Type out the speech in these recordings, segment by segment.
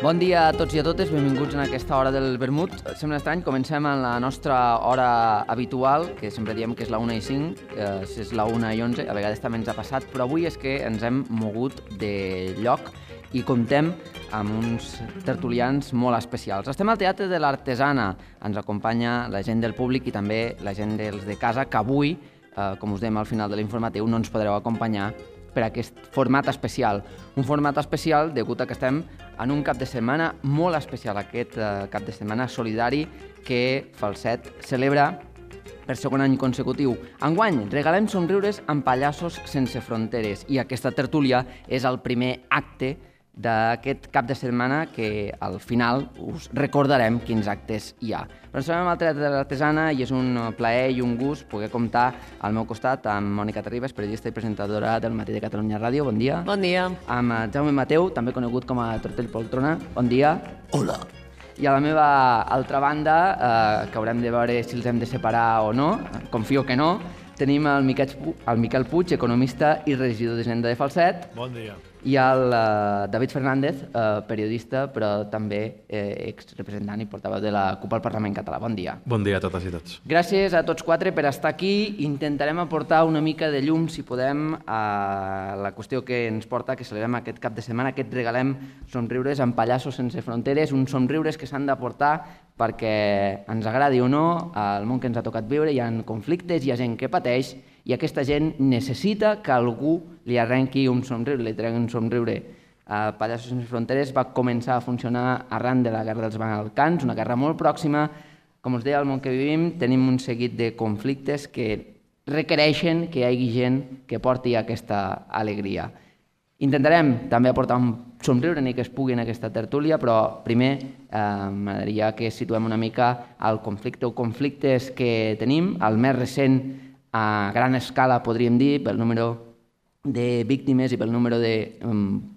Bon dia a tots i a totes, benvinguts en aquesta hora del vermut. Sembla estrany, comencem en la nostra hora habitual, que sempre diem que és la 1:05, és la 1:11, a vegades també ens ha passat, però avui és que ens hem mogut de lloc i comptem amb uns tertulians molt especials. Estem al Teatre de l'Artesana, ens acompanya la gent del públic i també la gent dels de casa, que avui, com us dèiem al final de l'informatiu, no ens podreu acompanyar per aquest format especial. Un format especial degut a que estem en un cap de setmana molt especial, aquest cap de setmana solidari que Falset celebra per segon any consecutiu. Enguany, regalem somriures amb pallassos sense fronteres i aquesta tertúlia és el primer acte d'aquest cap de setmana que al final us recordarem quins actes hi ha. Però ens trobem al Teatre de l'Artesana i és un plaer i un gust poder comptar al meu costat amb Mònica Terribas, periodista i presentadora del Matí de Catalunya Ràdio. Bon dia. Bon dia. Amb Jaume Mateu, també conegut com a Tortell Poltrona. Bon dia. Hola. I a la meva altra banda, que haurem de veure si els hem de separar o no, confio que no, tenim el Miquel Puig, economista i regidor d'Hisenda de Falset. Bon dia. I el David Fernández, periodista, però també exrepresentant i portaveu de la CUP al Parlament Català. Bon dia. Bon dia a totes i tots. Gràcies a tots quatre per estar aquí. Intentarem aportar una mica de llum, si podem, a la qüestió que ens porta, que celebrem aquest cap de setmana, aquest regalem somriures amb pallassos sense fronteres, uns somriures que s'han d'aportar perquè ens agradi o no, al món que ens ha tocat viure hi ha conflictes, hi ha gent que pateix i aquesta gent necessita que algú li arrenqui un somriure, li tregui un somriure. Pallassos sense fronteres va començar a funcionar arran de la Guerra dels Balcans, una guerra molt pròxima. Com us deia, al món que vivim tenim un seguit de conflictes que requereixen que hi hagi gent que porti aquesta alegria. Intentarem també aportar un somriure ni que es pugui en aquesta tertúlia, però primer m'agradaria que situem una mica el conflicte o conflictes que tenim. El més recent, a gran escala, podríem dir, pel número de víctimes i pel número de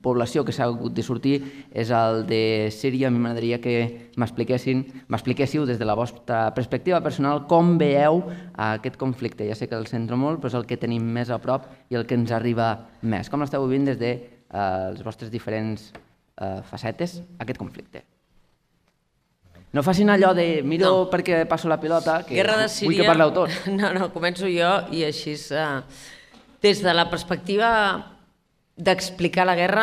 població que s'ha hagut de sortir, és el de Síria. A mi m'agradaria que m'expliquéssiu des de la vostra perspectiva personal com veieu aquest conflicte. Ja sé que el centro molt, però és el que tenim més a prop i el que ens arriba més. Com l'esteu vivint des de les vostres diferents facetes, aquest conflicte? No facin allò de miro perquè passo la pilota, que vull que parleu tots. No, començo jo i així... Des de la perspectiva d'explicar la guerra,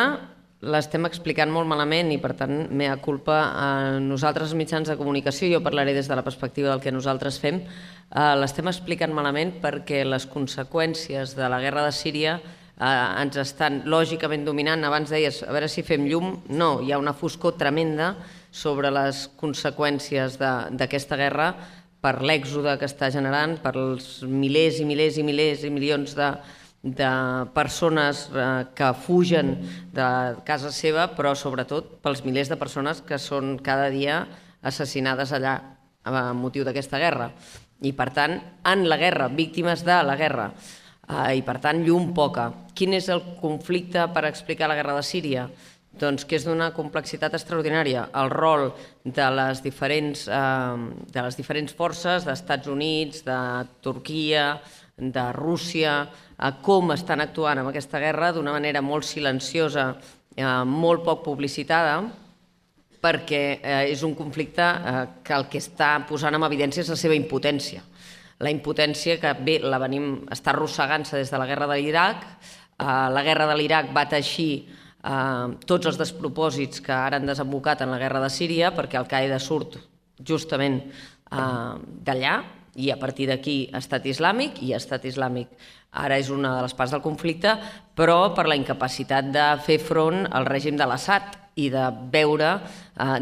l'estem explicant molt malament i, per tant, mea culpa a nosaltres, mitjans de comunicació. Jo parlaré des de la perspectiva del que nosaltres fem. L'estem explicant malament perquè les conseqüències de la guerra de Síria ens estan lògicament dominant. Abans deies, a veure si fem llum. No, hi ha una foscor tremenda sobre les conseqüències d'aquesta guerra per l'èxode que està generant, per els milers i milers i milers i milions de persones que fugen de casa seva, però sobretot pels milers de persones que són cada dia assassinades allà a motiu d'aquesta guerra. I per tant, en la guerra, víctimes de la guerra. I per tant, llum poca. Quin és el conflicte per explicar la guerra de Síria? Doncs que és d'una complexitat extraordinària. El rol de les diferents forces, d'Estats Units, de Turquia, de Rússia, com estan actuant en aquesta guerra d'una manera molt silenciosa, molt poc publicitada, perquè és un conflicte que el que està posant en evidència és la seva impotència. La impotència que bé està arrossegant-se des de la guerra de l'Iraq. La guerra de l'Iraq va teixir tots els despropòsits que ara han desembocat en la guerra de Síria, perquè Al-Qaeda surt justament d'allà i a partir d'aquí Estat Islàmic, i Estat Islàmic ara és una de les parts del conflicte, però per la incapacitat de fer front al règim de l'Assad i de veure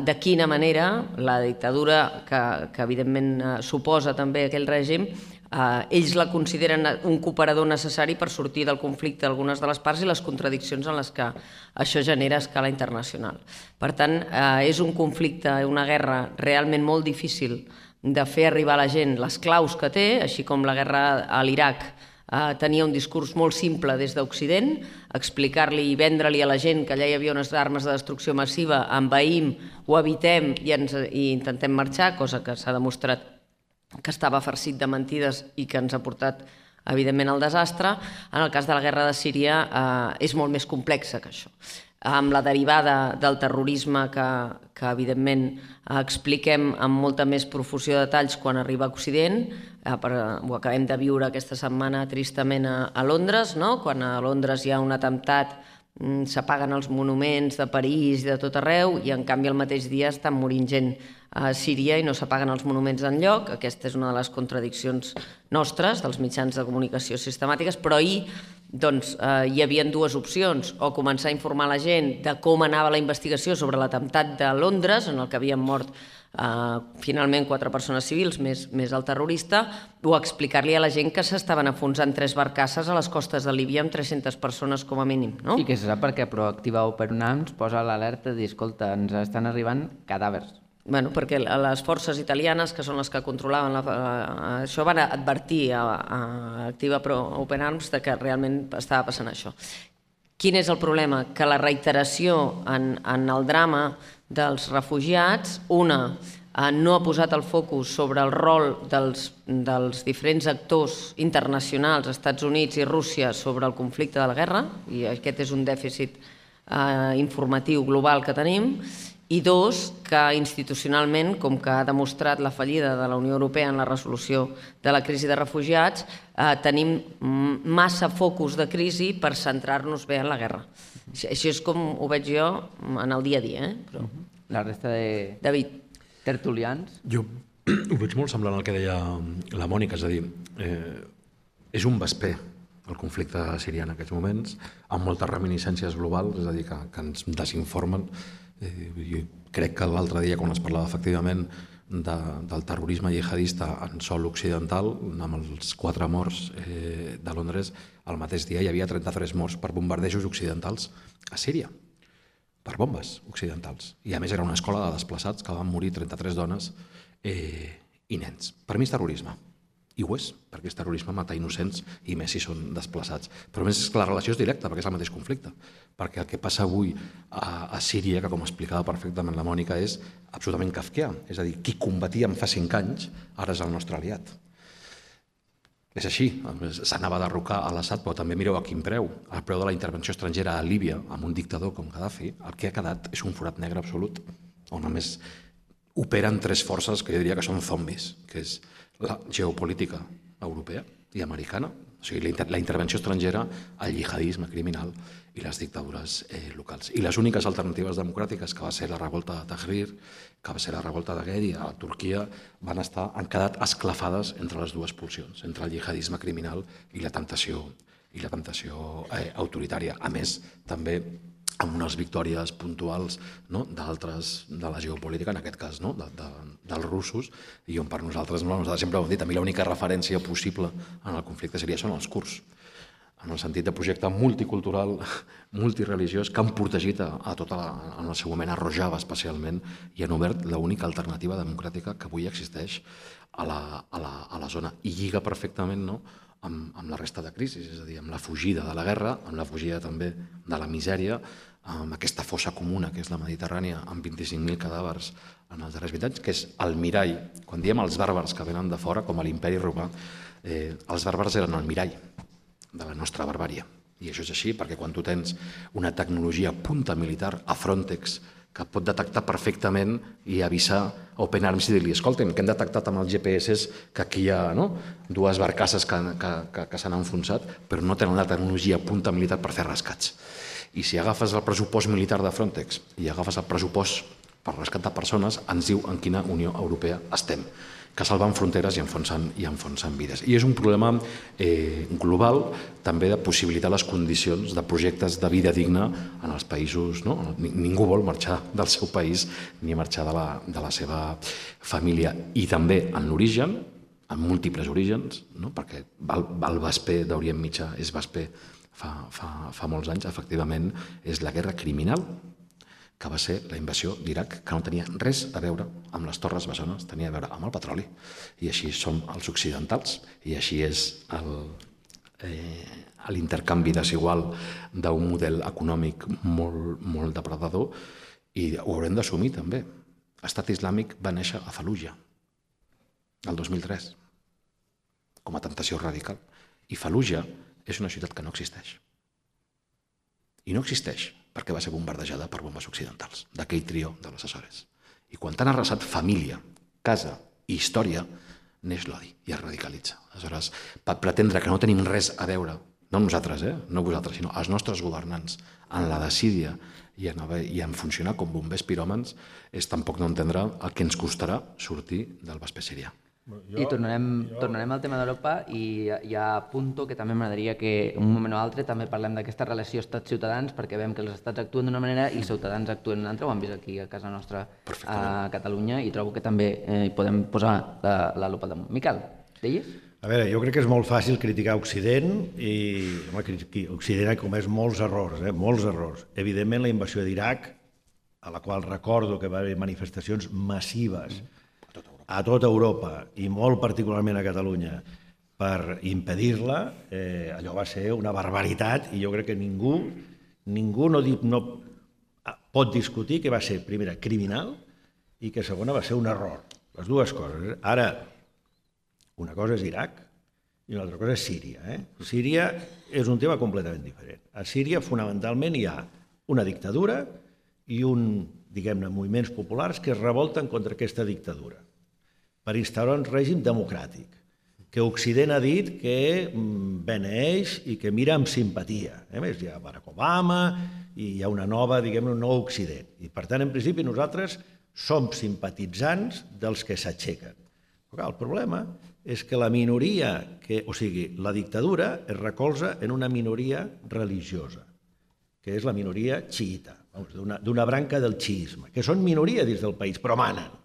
de quina manera la dictadura que evidentment suposa també aquell règim, ells la consideren un cooperador necessari per sortir del conflicte d'algunes de les parts i les contradiccions en les que això genera a escala internacional. Per tant, és un conflicte, una guerra realment molt difícil de fer arribar a la gent les claus que té, així com la guerra a l'Iraq tenia un discurs molt simple des d'Occident, explicar-li i vendre-li a la gent que allà hi havia unes armes de destrucció massiva, envaïm, ho evitem i intentem marxar, cosa que s'ha demostrat que estava farcit de mentides i que ens ha portat, evidentment, al desastre. En el cas de la guerra de Síria és molt més complexa que això. amb la derivada del terrorisme que evidentment expliquem amb molta més profusió de detalls quan arriba a Occident. Ho acabem de viure aquesta setmana tristament a Londres, quan a Londres hi ha un atemptat, s'apaguen els monuments de París i de tot arreu, i en canvi el mateix dia estan morint gent a Síria i no s'apaguen els monuments enlloc. Aquesta és una de les contradiccions nostres, dels mitjans de comunicació sistemàtiques, però ahir hi havia dues opcions: o començar a informar la gent de com anava la investigació sobre l'atemptat de Londres, en el que havien mort finalment 4 persones civils més el terrorista, o explicar-li a la gent que s'estaven enfonsant 3 barcasses a les costes de Líbia amb 300 persones com a mínim. I que se sap perquè Proactiva Open UNAMS posa l'alerta de dir, escolta, ens estan arribant cadàvers. Perquè les forces italianes, que són les que controlaven això, van advertir a Activa Open Arms que realment estava passant això. Quin és el problema? Que la reiteració en el drama dels refugiats, no ha posat el focus sobre el rol dels diferents actors internacionals, Estats Units i Rússia, sobre el conflicte de la guerra, i aquest és un dèficit informatiu global que tenim. I dos, que institucionalment, com que ha demostrat la fallida de la Unió Europea en la resolució de la crisi de refugiats, tenim massa focus de crisi per centrar-nos bé en la guerra. Així és com ho veig jo en el dia a dia. La resta de tertulians? Jo ho veig molt semblant al que deia la Mònica, és a dir, és un vesper el conflicte sirià en aquests moments, amb moltes reminiscències globals, és a dir, que ens desinformen. Jo crec que l'altre dia, quan es parlava efectivament del terrorisme jihadista en sòl occidental, amb els 4 morts de Londres, el mateix dia hi havia 33 morts per bombardejos occidentals a Síria, per bombes occidentals. I a més era una escola de desplaçats que van morir 33 dones i nens. Per mi és terrorisme. I ho és, perquè és terrorisme matar innocents, i més si són desplaçats. Però a més és que la relació és directa, perquè és el mateix conflicte. Perquè el que passa avui a Síria, que com explicava perfectament la Mònica, és absolutament kafkià. És a dir, qui combatíem fa 5 anys, ara és el nostre aliat. És així, s'anava a derrocar a l'Assad, però també mireu a quin preu. El preu de la intervenció estrangera a Líbia, amb un dictador com Gaddafi, el que ha quedat és un forat negre absolut, on només operen 3 forces que jo diria que són zombis, que és la geopolítica europea i americana, o sigui, la intervenció estrangera, el jihadisme criminal i les dictadures locals. I les úniques alternatives democràtiques, que va ser la revolta de Tahrir, que va ser la revolta de Gedi a Turquia, han quedat esclafades entre les dues pulsions, entre el jihadisme criminal i la temptació autoritària. A més, també amb unes victòries puntuals d'altres de la geopolítica, en aquest cas dels russos, i on per nosaltres sempre ho hem dit, a mi l'única referència possible en el conflicte siria són els kurds, en el sentit de projecte multicultural, multireligiós, que han protegit a tota en el seu moment a Rojava especialment, i han obert l'única alternativa democràtica que avui existeix a la zona, i lliga perfectament amb la resta de crisis, és a dir, amb la fugida de la guerra, amb la fugida també de la misèria, amb aquesta fossa comuna que és la Mediterrània, amb 25.000 cadàvers en els darrers 20 anys, que és el mirall. Quan diem els bàrbars que venen de fora, com a l'imperi romà, els bàrbars eren el mirall de la nostra barbària. I això és així perquè quan tu tens una tecnologia punta militar a Frontex que pot detectar perfectament i avisar a Open Arms i dir-li, escolten, que hem detectat amb els GPS que aquí hi ha 2 barcasses que s'han enfonsat, però no tenen la tecnologia punta militar per fer rescats. I si agafes el pressupost militar de Frontex i agafes el pressupost per rescatar persones, ens diu en quina Unió Europea estem, que salven fronteres i enfonsen vides. I és un problema global també de possibilitar les condicions de projectes de vida digna en els països. Ningú vol marxar del seu país ni marxar de la seva família. I també en l'origen, en múltiples orígens, perquè el vesper d'Orient Mitjà és vesper fa molts anys, efectivament, és la guerra criminal que va ser la invasió d'Iraq, que no tenia res a veure amb les Torres Bessones, tenia a veure amb el petroli. I així som els occidentals, i així és l'intercanvi desigual d'un model econòmic molt depredador, i ho haurem d'assumir també. L'Estat Islàmic va néixer a Fallujah el 2003 com a temptació radical, i Fallujah és una ciutat que no existeix. I no existeix perquè va ser bombardejada per bombes occidentals, d'aquell trio de les Açores. I quan t'han arrasat família, casa i història, neix l'odi i es radicalitza. Aleshores, per pretendre que no tenim res a veure, no nosaltres, no vosaltres, sinó els nostres governants, en la desídia i en funcionar com bombers piròmans, és tampoc no entendre el que ens costarà sortir del Vespre sirià. I tornarem al tema d'Europa i ja apunto que també m'agradaria que un moment o altre també parlem d'aquesta relació estats-ciutadans, perquè veiem que els estats actuen d'una manera i els ciutadans actuen d'una altra, ho hem vist aquí a casa nostra a Catalunya, i trobo que també hi podem posar la lupa damunt. Miquel, deies? A veure, jo crec que és molt fàcil criticar Occident i Occident ha comès molts errors, molts errors. Evidentment, la invasió d'Iraq, a la qual recordo que va haver manifestacions massives a tota Europa i molt particularment a Catalunya per impedir-la, allò va ser una barbaritat i jo crec que ningú no pot discutir que va ser, primera, criminal i que segona va ser un error. Les dues coses. Ara, una cosa és Iraq i una altra cosa és Síria. Síria és un tema completament diferent. A Síria, fonamentalment, hi ha una dictadura i diguem-ne, moviments populars que es revolten contra aquesta dictadura per instaurar un règim democràtic, que Occident ha dit que beneeix i que mira amb simpatia. A més, hi ha Barack Obama i hi ha una nova, diguem-ne, un nou Occident. I, per tant, en principi, nosaltres som simpatitzants dels que s'aixequen. Però el problema és que la minoria, o sigui, la dictadura es recolza en una minoria religiosa, que és la minoria xiïta, d'una branca del xiisme, que són minoria dins del país, però manen.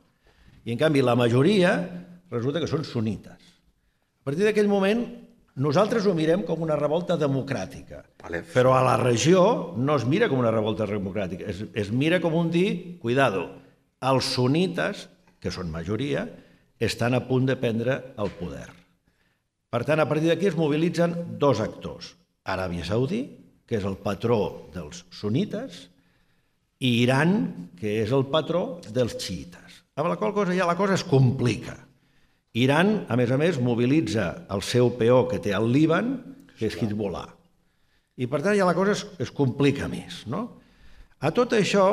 I, en canvi, la majoria resulta que són sunites. A partir d'aquell moment, nosaltres ho mirem com una revolta democràtica, però a la regió no es mira com una revolta democràtica, es mira com un dir, cuidado, els sunites, que són majoria, estan a punt de prendre el poder. Per tant, a partir d'aquí es mobilitzen dos actors, Aràbia Saudí, que és el patró dels sunites, i Iran, que és el patró dels xiïtes. Amb la qual cosa ja la cosa es complica. Iran, a més, mobilitza el seu peó que té al Líban, que és Hezbollah. I per tant ja la cosa es complica més. A tot això,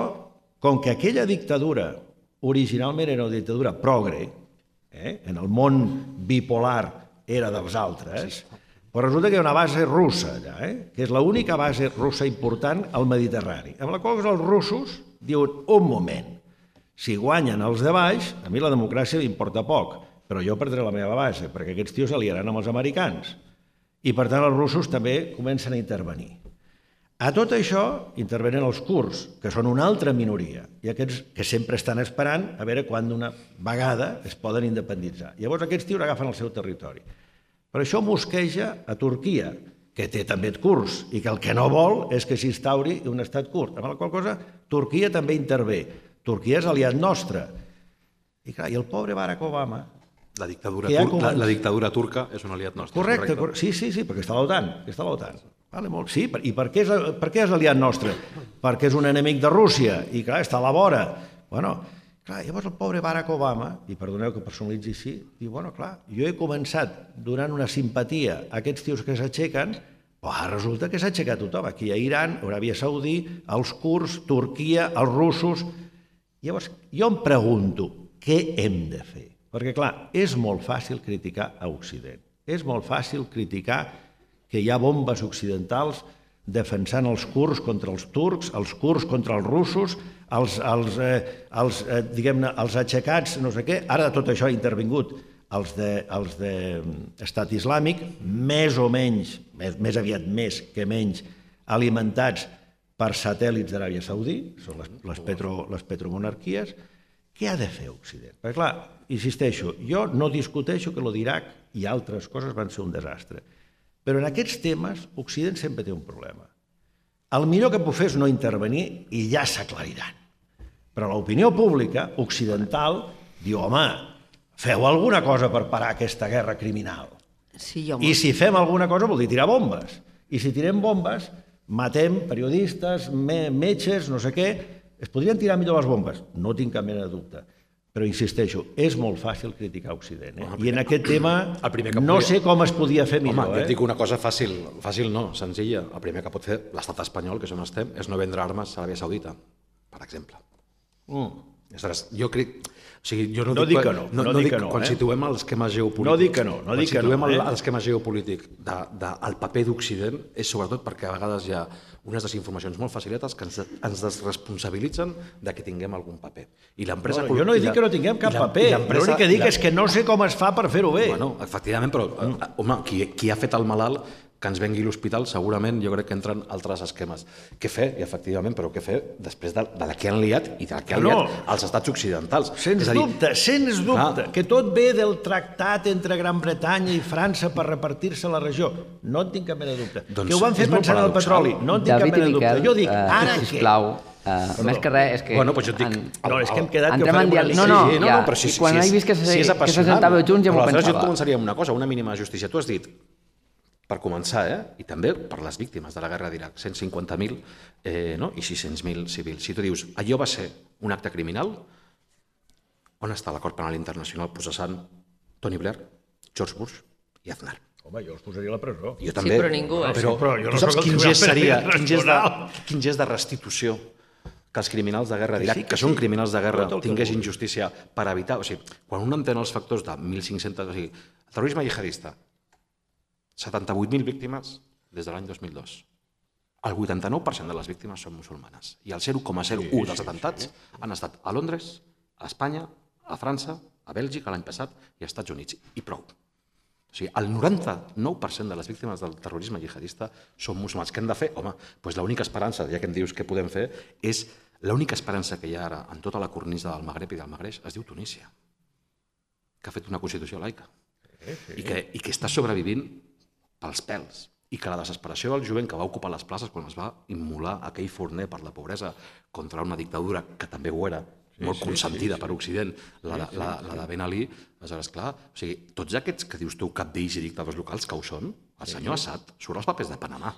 com que aquella dictadura originalment era una dictadura progre, en el món bipolar era dels altres, però resulta que hi ha una base russa allà, que és l'única base russa important al Mediterrani. Amb la qual cosa els russos diuen, un moment, si guanyen els de baix, a mi la democràcia m'importa poc, però jo perdré la meva base, perquè aquests tios s'aliaran amb els americans. I, per tant, els russos també comencen a intervenir. A tot això intervenen els kurds, que són una altra minoria, i aquests que sempre estan esperant a veure quan d'una vegada es poden independitzar. Llavors aquests tios agafen el seu territori. Per això mosqueja a Turquia, que té també kurds, i que el que no vol és que s'instauri un estat kurd. Amb la qual cosa, Turquia també intervé. Turquia és aliat nostre. I clar, i el pobre Barack Obama... La dictadura turca és un aliat nostre. Correcte, sí, perquè està a l'OTAN. Sí, i per què és aliat nostre? Perquè és un enemic de Rússia i clar, està a la vora. Llavors el pobre Barack Obama, i perdoneu que personalitzi així, diu, clar, jo he començat donant una simpatia a aquests tios que s'aixequen, però resulta que s'ha aixecat tothom. Aquí hi ha Iran, Aràbia Saudí, els kurds, Turquia, els russos... Llavors, jo em pregunto, què hem de fer? Perquè, clar, és molt fàcil criticar a Occident. És molt fàcil criticar que hi ha bombes occidentals defensant els kurds contra els turcs, els kurds contra els russos, els aixecats, no sé què. Ara tot això ha intervingut els d'Estat Islàmic, més o menys, més aviat més que menys, alimentats per satèl·lits d'Aràbia Saudí, són les petromonarquies. Què ha de fer Occident? Perquè, clar, insisteixo, jo no discuteixo que l'Iraq i altres coses van ser un desastre, però en aquests temes Occident sempre té un problema. El millor que puc fer és no intervenir i ja s'aclariran. Però l'opinió pública occidental diu, home, feu alguna cosa per parar aquesta guerra criminal. I si fem alguna cosa vol dir tirar bombes. I si tirem bombes, matem periodistes, metges, no sé què. Es podrien tirar millor les bombes, no tinc cap mena de dubte. però insisteixo, és molt fàcil criticar Occident. I en aquest tema no sé com es podia fer millor. Home, jo et dic una cosa fàcil no, senzilla. El primer que pot fer l'estat espanyol, que és on estem, és no vendre armes a l'Aràbia Saudita, per exemple. Jo crec... O sigui, jo no dic que no, no dic que no. Quan situem l'esquema geopolític... No dic que no, no dic que no. Quan situem l'esquema geopolític del paper d'Occident és sobretot perquè a vegades hi ha unes desinformacions molt faciletes que ens desresponsabilitzen de que tinguem algun paper. I l'empresa... Jo no he dit que no tinguem cap paper. L'únic que dic és que no sé com es fa per fer-ho bé. Bueno, efectivament, però, home, qui ha fet el malalt que ens vengui l'hospital, segurament jo crec que entren altres esquemes. Què fer, i efectivament, però què fer després de la que han liat i de la que han liat els estats occidentals? Sens dubte, que tot ve del tractat entre Gran Bretanya i França per repartir-se la regió. No en tinc cap mena de dubte. Que ho van fer pensant en el petroli. No en tinc cap mena de dubte. Jo dic, ara què? Sisplau, més que res, és que... Bueno, doncs jo et dic... No, és que hem quedat que farem una No, però si quan he vist que s'assentava junts ja m'ho pensava. Però aleshores jo et començaria amb una cosa, una mínima justícia. Tu has dit, per començar, i també per les víctimes de la guerra d'Iraq, 150.000 i 600.000 civils. Si tu dius, allò va ser un acte criminal, on està l'acord penal internacional processant Tony Blair, George Bush i Aznar? Home, jo els posaria a la presó. Jo també, ningú, però tu saps quin gest seria, quin gest de restitució que els criminals de guerra d'Iraq, que són criminals de guerra, tinguessin justícia per evitar... O sigui, quan un entén els factors de 1.500... O sigui, el terrorisme jihadista, 78.000 víctimes des de l'any 2002. El 89% de les víctimes són musulmanes. I el 0,01 dels atentats han estat a Londres, a Espanya, a França, a Bèlgica l'any passat i als Estats Units. I prou. O sigui, el 99% de les víctimes del terrorisme jihadista són musulmans. Què hem de fer? Home, doncs l'única esperança, ja que em dius què podem fer, és l'única esperança que hi ha ara en tota la cornisa del Magreb i del Magreix es diu Tunísia, que ha fet una constitució laica i que està sobrevivint pels pèls, i que la desesperació del jovent que va ocupar les places quan es va immolar aquell forner per la pobresa contra una dictadura que també ho era, molt consentida per Occident, la de Ben Ali, aleshores, clar, o sigui, tots aquests que dius tu cabdills i dictadors locals, que ho són, el senyor Assad surt als papers de Panamà.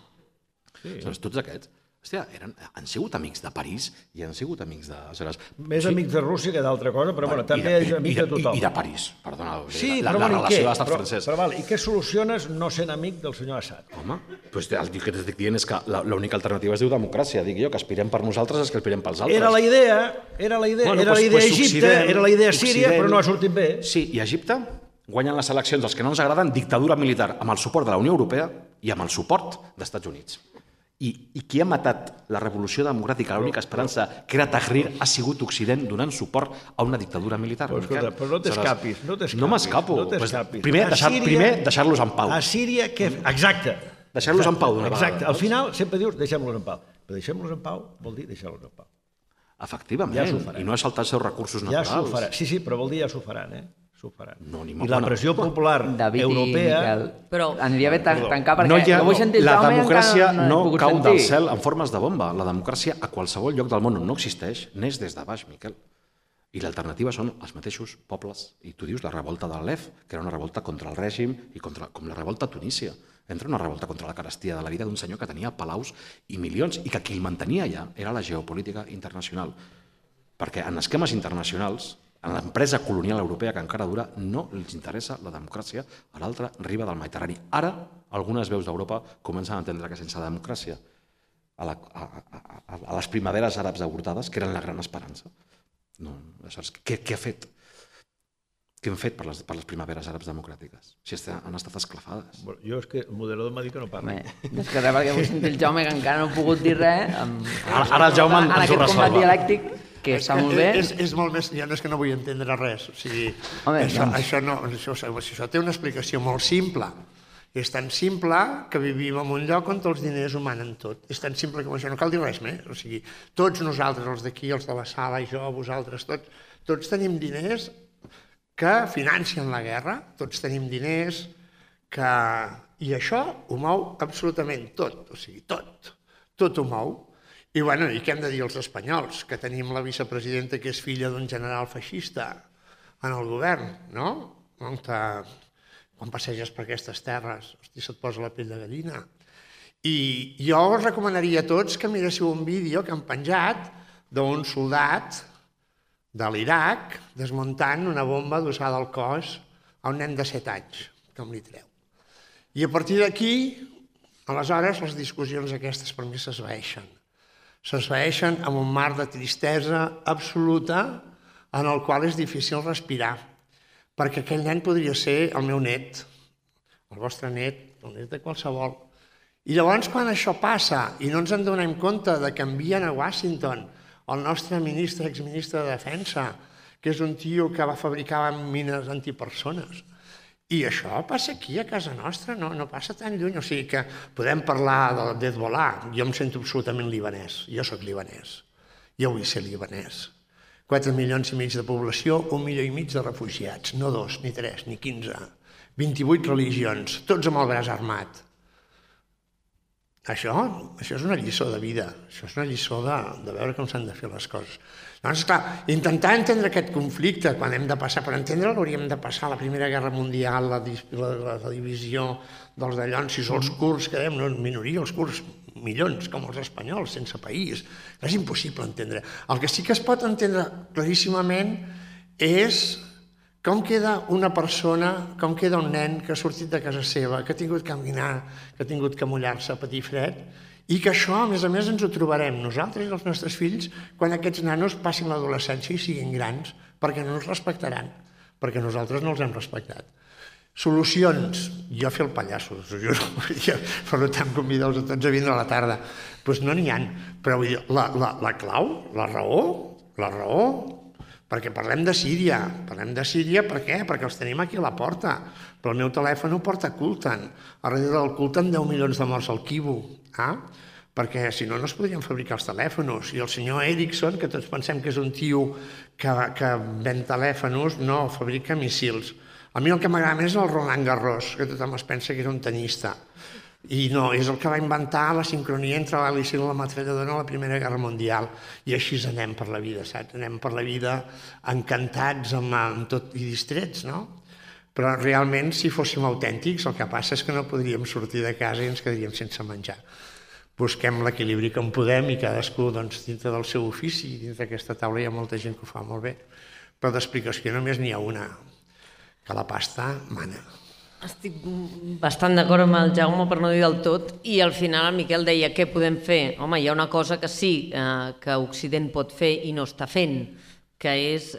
Aleshores, tots aquests, hòstia, han sigut amics de París i han sigut amics de... Més amics de Rússia que d'altra cosa, però bueno, també és amic de tothom. I de París, perdona, la relació de l'estat francès. Però i què soluciones no sent amic del senyor Assad? Home, doncs el que t'estic dient és que l'única alternativa es diu democràcia, dic jo, que aspirem per nosaltres és que aspirem pels altres. Era la idea Egipte, era la idea Síria, però no ha sortit bé. Sí, i a Egipte guanyen les eleccions els que no ens agraden, dictadura militar amb el suport de la Unió Europea i amb el suport dels Estats Units. I qui ha matat la revolució democràtica, l'única esperança, que era Tahrir, ha sigut Occident donant suport a una dictadura militar. Però escolta, però no t'escapis. No m'escapo. Primer, deixar-los en pau. A Síria, què? Exacte. Deixar-los en pau d'una vegada. Exacte. Al final sempre dius deixem-los en pau. Però deixem-los en pau vol dir deixar-los en pau. Efectivament. I no és saltar els seus recursos naturals. Ja s'ho faran. Sí, però vol dir ja s'ho faran, s'ho faran. I la pressió popular europea... Però aniria bé tancar perquè no vull sentir el la Jaume democràcia encara no cau del cel en formes de bomba. La democràcia a qualsevol lloc del món on no existeix neix des de baix, Miquel. I l'alternativa són els mateixos pobles. I tu dius la revolta de l'Alef, que era una revolta contra el règim i com la revolta a Tunísia. Entra una revolta contra la carestia de la vida d'un senyor que tenia palaus i milions i que qui el mantenia allà era la geopolítica internacional. Perquè en esquemes internacionals, en l'empresa colonial europea que encara dura, no els interessa la democràcia a l'altra riba del Mediterrani. Ara, algunes veus d'Europa comencen a entendre que sense democràcia a les primaveres àrabs avortades, que eren la gran esperança. Què ha fet? Què hem fet per les primaveres àrabs democràtiques? Si han estat esclafades. Jo és que el moderador m'ha dit que no parli. És que res, perquè vull sentir el Jaume, que encara no ha pogut dir res. Ara el Jaume ens ho resolva. En aquest combat dialèctic, que està molt bé. És molt més... Ja no és que no vull entendre res. O sigui, això té una explicació molt simple. És tan simple que vivim en un lloc on els diners ho manen tot. És tan simple com això, no cal dir res més. O sigui, tots nosaltres, els d'aquí, els de la sala, jo, vosaltres, tots tenim diners que financen la guerra, tots tenim diners que... I això ho mou absolutament tot, o sigui, tot ho mou. I què hem de dir els espanyols? Que tenim la vicepresidenta que és filla d'un general feixista en el govern, no? Quan passeges per aquestes terres, hosti, se't posa la pell de gallina. I jo us recomanaria a tots que miréssiu un vídeo que han penjat d'un soldat de l'Iraq desmuntant una bomba adossada al cos a un nen de 7 anys, com li treu. I a partir d'aquí, aleshores, les discussions aquestes per mi s'esvaeixen. S'esvaeixen amb un mar de tristesa absoluta en el qual és difícil respirar, perquè aquell nen podria ser el meu net, el vostre net, el net de qualsevol. I llavors, quan això passa i no ens en donem compte de que envien a Washington el nostre exministre de Defensa, que és un tio que va fabricar mines antipersones, i això passa aquí a casa nostra, no passa tan lluny. O sigui que podem parlar d'Hezbollah. Jo em sento absolutament libanès. Jo sóc libanès. Jo vull ser libanès. 4 milions i mig de població, 1,5 milió de refugiats. No 2, ni 3, ni 15. 28 religions, tots amb el braç armat. Això és una lliçó de vida. Això és una lliçó de veure com s'han de fer les coses. Llavors, clar, intentar entendre aquest conflicte, quan hem de passar per entendre'l, hauríem de passar la Primera Guerra Mundial, la divisió dels dallonsis, els kurds, que dèiem, no minoria, els kurds, milions, com els espanyols, sense país. És impossible entendre. El que sí que es pot entendre claríssimament és com queda una persona, com queda un nen que ha sortit de casa seva, que ha tingut que caminar, que ha tingut que mullar-se, patir fred, i que això, a més, ens ho trobarem nosaltres i els nostres fills quan aquests nanos passin l'adolescència i siguin grans, perquè no ens respectaran, perquè nosaltres no els hem respectat. Solucions, jo fer el pallasso, us ho juro, per tant convideu-vos a tots a vindre a la tarda. Doncs no n'hi ha, però vull dir, la clau, la raó, perquè parlem de Síria per què? Perquè els tenim aquí a la porta, però el meu telèfon ho porta Kultan, a darrere del Kultan 10 milions de morts al Kivu, perquè si no es podrien fabricar els telèfons, i el senyor Ericsson, que tots pensem que és un tio que ven telèfons, no, fabrica missils. A mi el que m'agrada més és el Roland Garros, que tothom es pensa que és un tenista, i no, és el que va inventar la sincronia entre l'hèlice i la metralladora a la Primera Guerra Mundial, i així anem per la vida, saps? Anem per la vida encantats amb tot i distrets, no? Però realment, si fóssim autèntics, el que passa és que no podríem sortir de casa i ens quedaríem sense menjar. Busquem l'equilibri que en podem i cadascú dintre del seu ofici, dintre d'aquesta taula hi ha molta gent que ho fa molt bé, però d'explicació només n'hi ha una, que la pasta mana. Estic bastant d'acord amb el Jaume, per no dir del tot, i al final el Miquel deia què podem fer. Home, hi ha una cosa que sí que Occident pot fer i no està fent, que és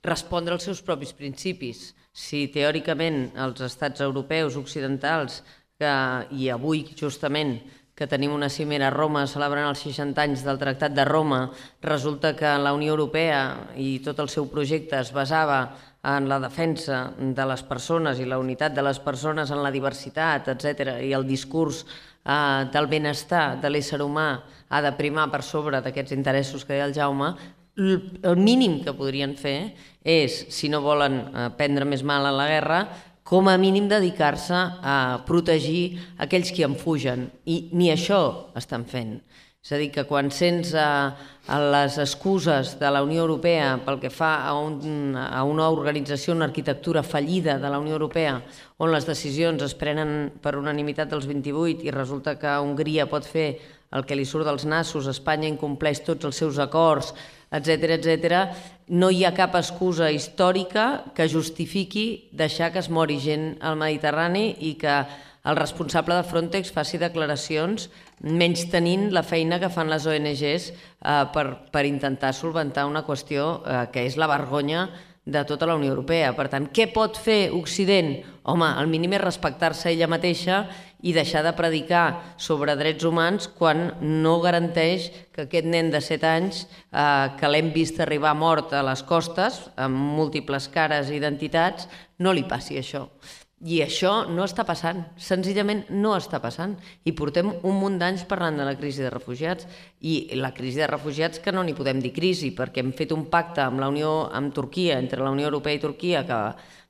respondre als seus propis principis. Si teòricament els estats europeus occidentals, i avui justament que tenim una cimera a Roma celebrant els 60 anys del Tractat de Roma, resulta que la Unió Europea i tot el seu projecte es basava en la defensa de les persones i la unitat de les persones en la diversitat, etc. I el discurs del benestar de l'ésser humà ha de primar per sobre d'aquests interessos que deia el Jaume. El mínim que podrien fer és, si no volen prendre més mal a la guerra, com a mínim dedicar-se a protegir aquells que en fugen, i ni això estan fent. És a dir, que quan sents les excuses de la Unió Europea pel que fa a una organització, una arquitectura fallida de la Unió Europea, on les decisions es prenen per unanimitat dels 28 i resulta que Hongria pot fer el que li surt dels nassos, Espanya incompleix tots els seus acords, etc., no hi ha cap excusa històrica que justifiqui deixar que es mori gent al Mediterrani i que el responsable de Frontex faci declaracions menys tenint la feina que fan les ONGs per intentar solventar una qüestió que és la vergonya de tota la Unió Europea. Per tant, què pot fer Occident? Home, el mínim és respectar-se ella mateixa i deixar de predicar sobre drets humans quan no garanteix que aquest nen de 7 anys que l'hem vist arribar mort a les costes, amb múltiples cares i identitats, no li passi això. I això no està passant, senzillament no està passant. I portem un munt d'anys parlant de la crisi de refugiats, i la crisi de refugiats que no n'hi podem dir crisi, perquè hem fet un pacte amb Turquia, entre la Unió Europea i Turquia, que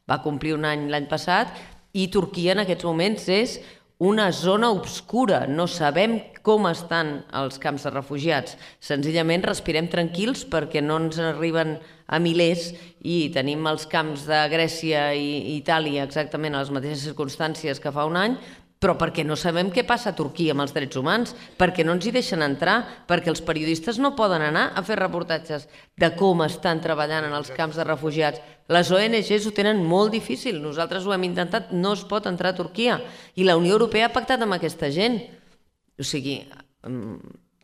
va complir un any l'any passat, i Turquia en aquests moments és una zona obscura, no sabem com estan els camps de refugiats. Senzillament respirem tranquils perquè no ens arriben a milers i tenim els camps de Grècia i Itàlia exactament a les mateixes circumstàncies que fa un any, però perquè no sabem què passa a Turquia amb els drets humans, perquè no ens hi deixen entrar, perquè els periodistes no poden anar a fer reportatges de com estan treballant en els camps de refugiats. Les ONGs ho tenen molt difícil, nosaltres ho hem intentat, no es pot entrar a Turquia, i la Unió Europea ha pactat amb aquesta gent. O sigui,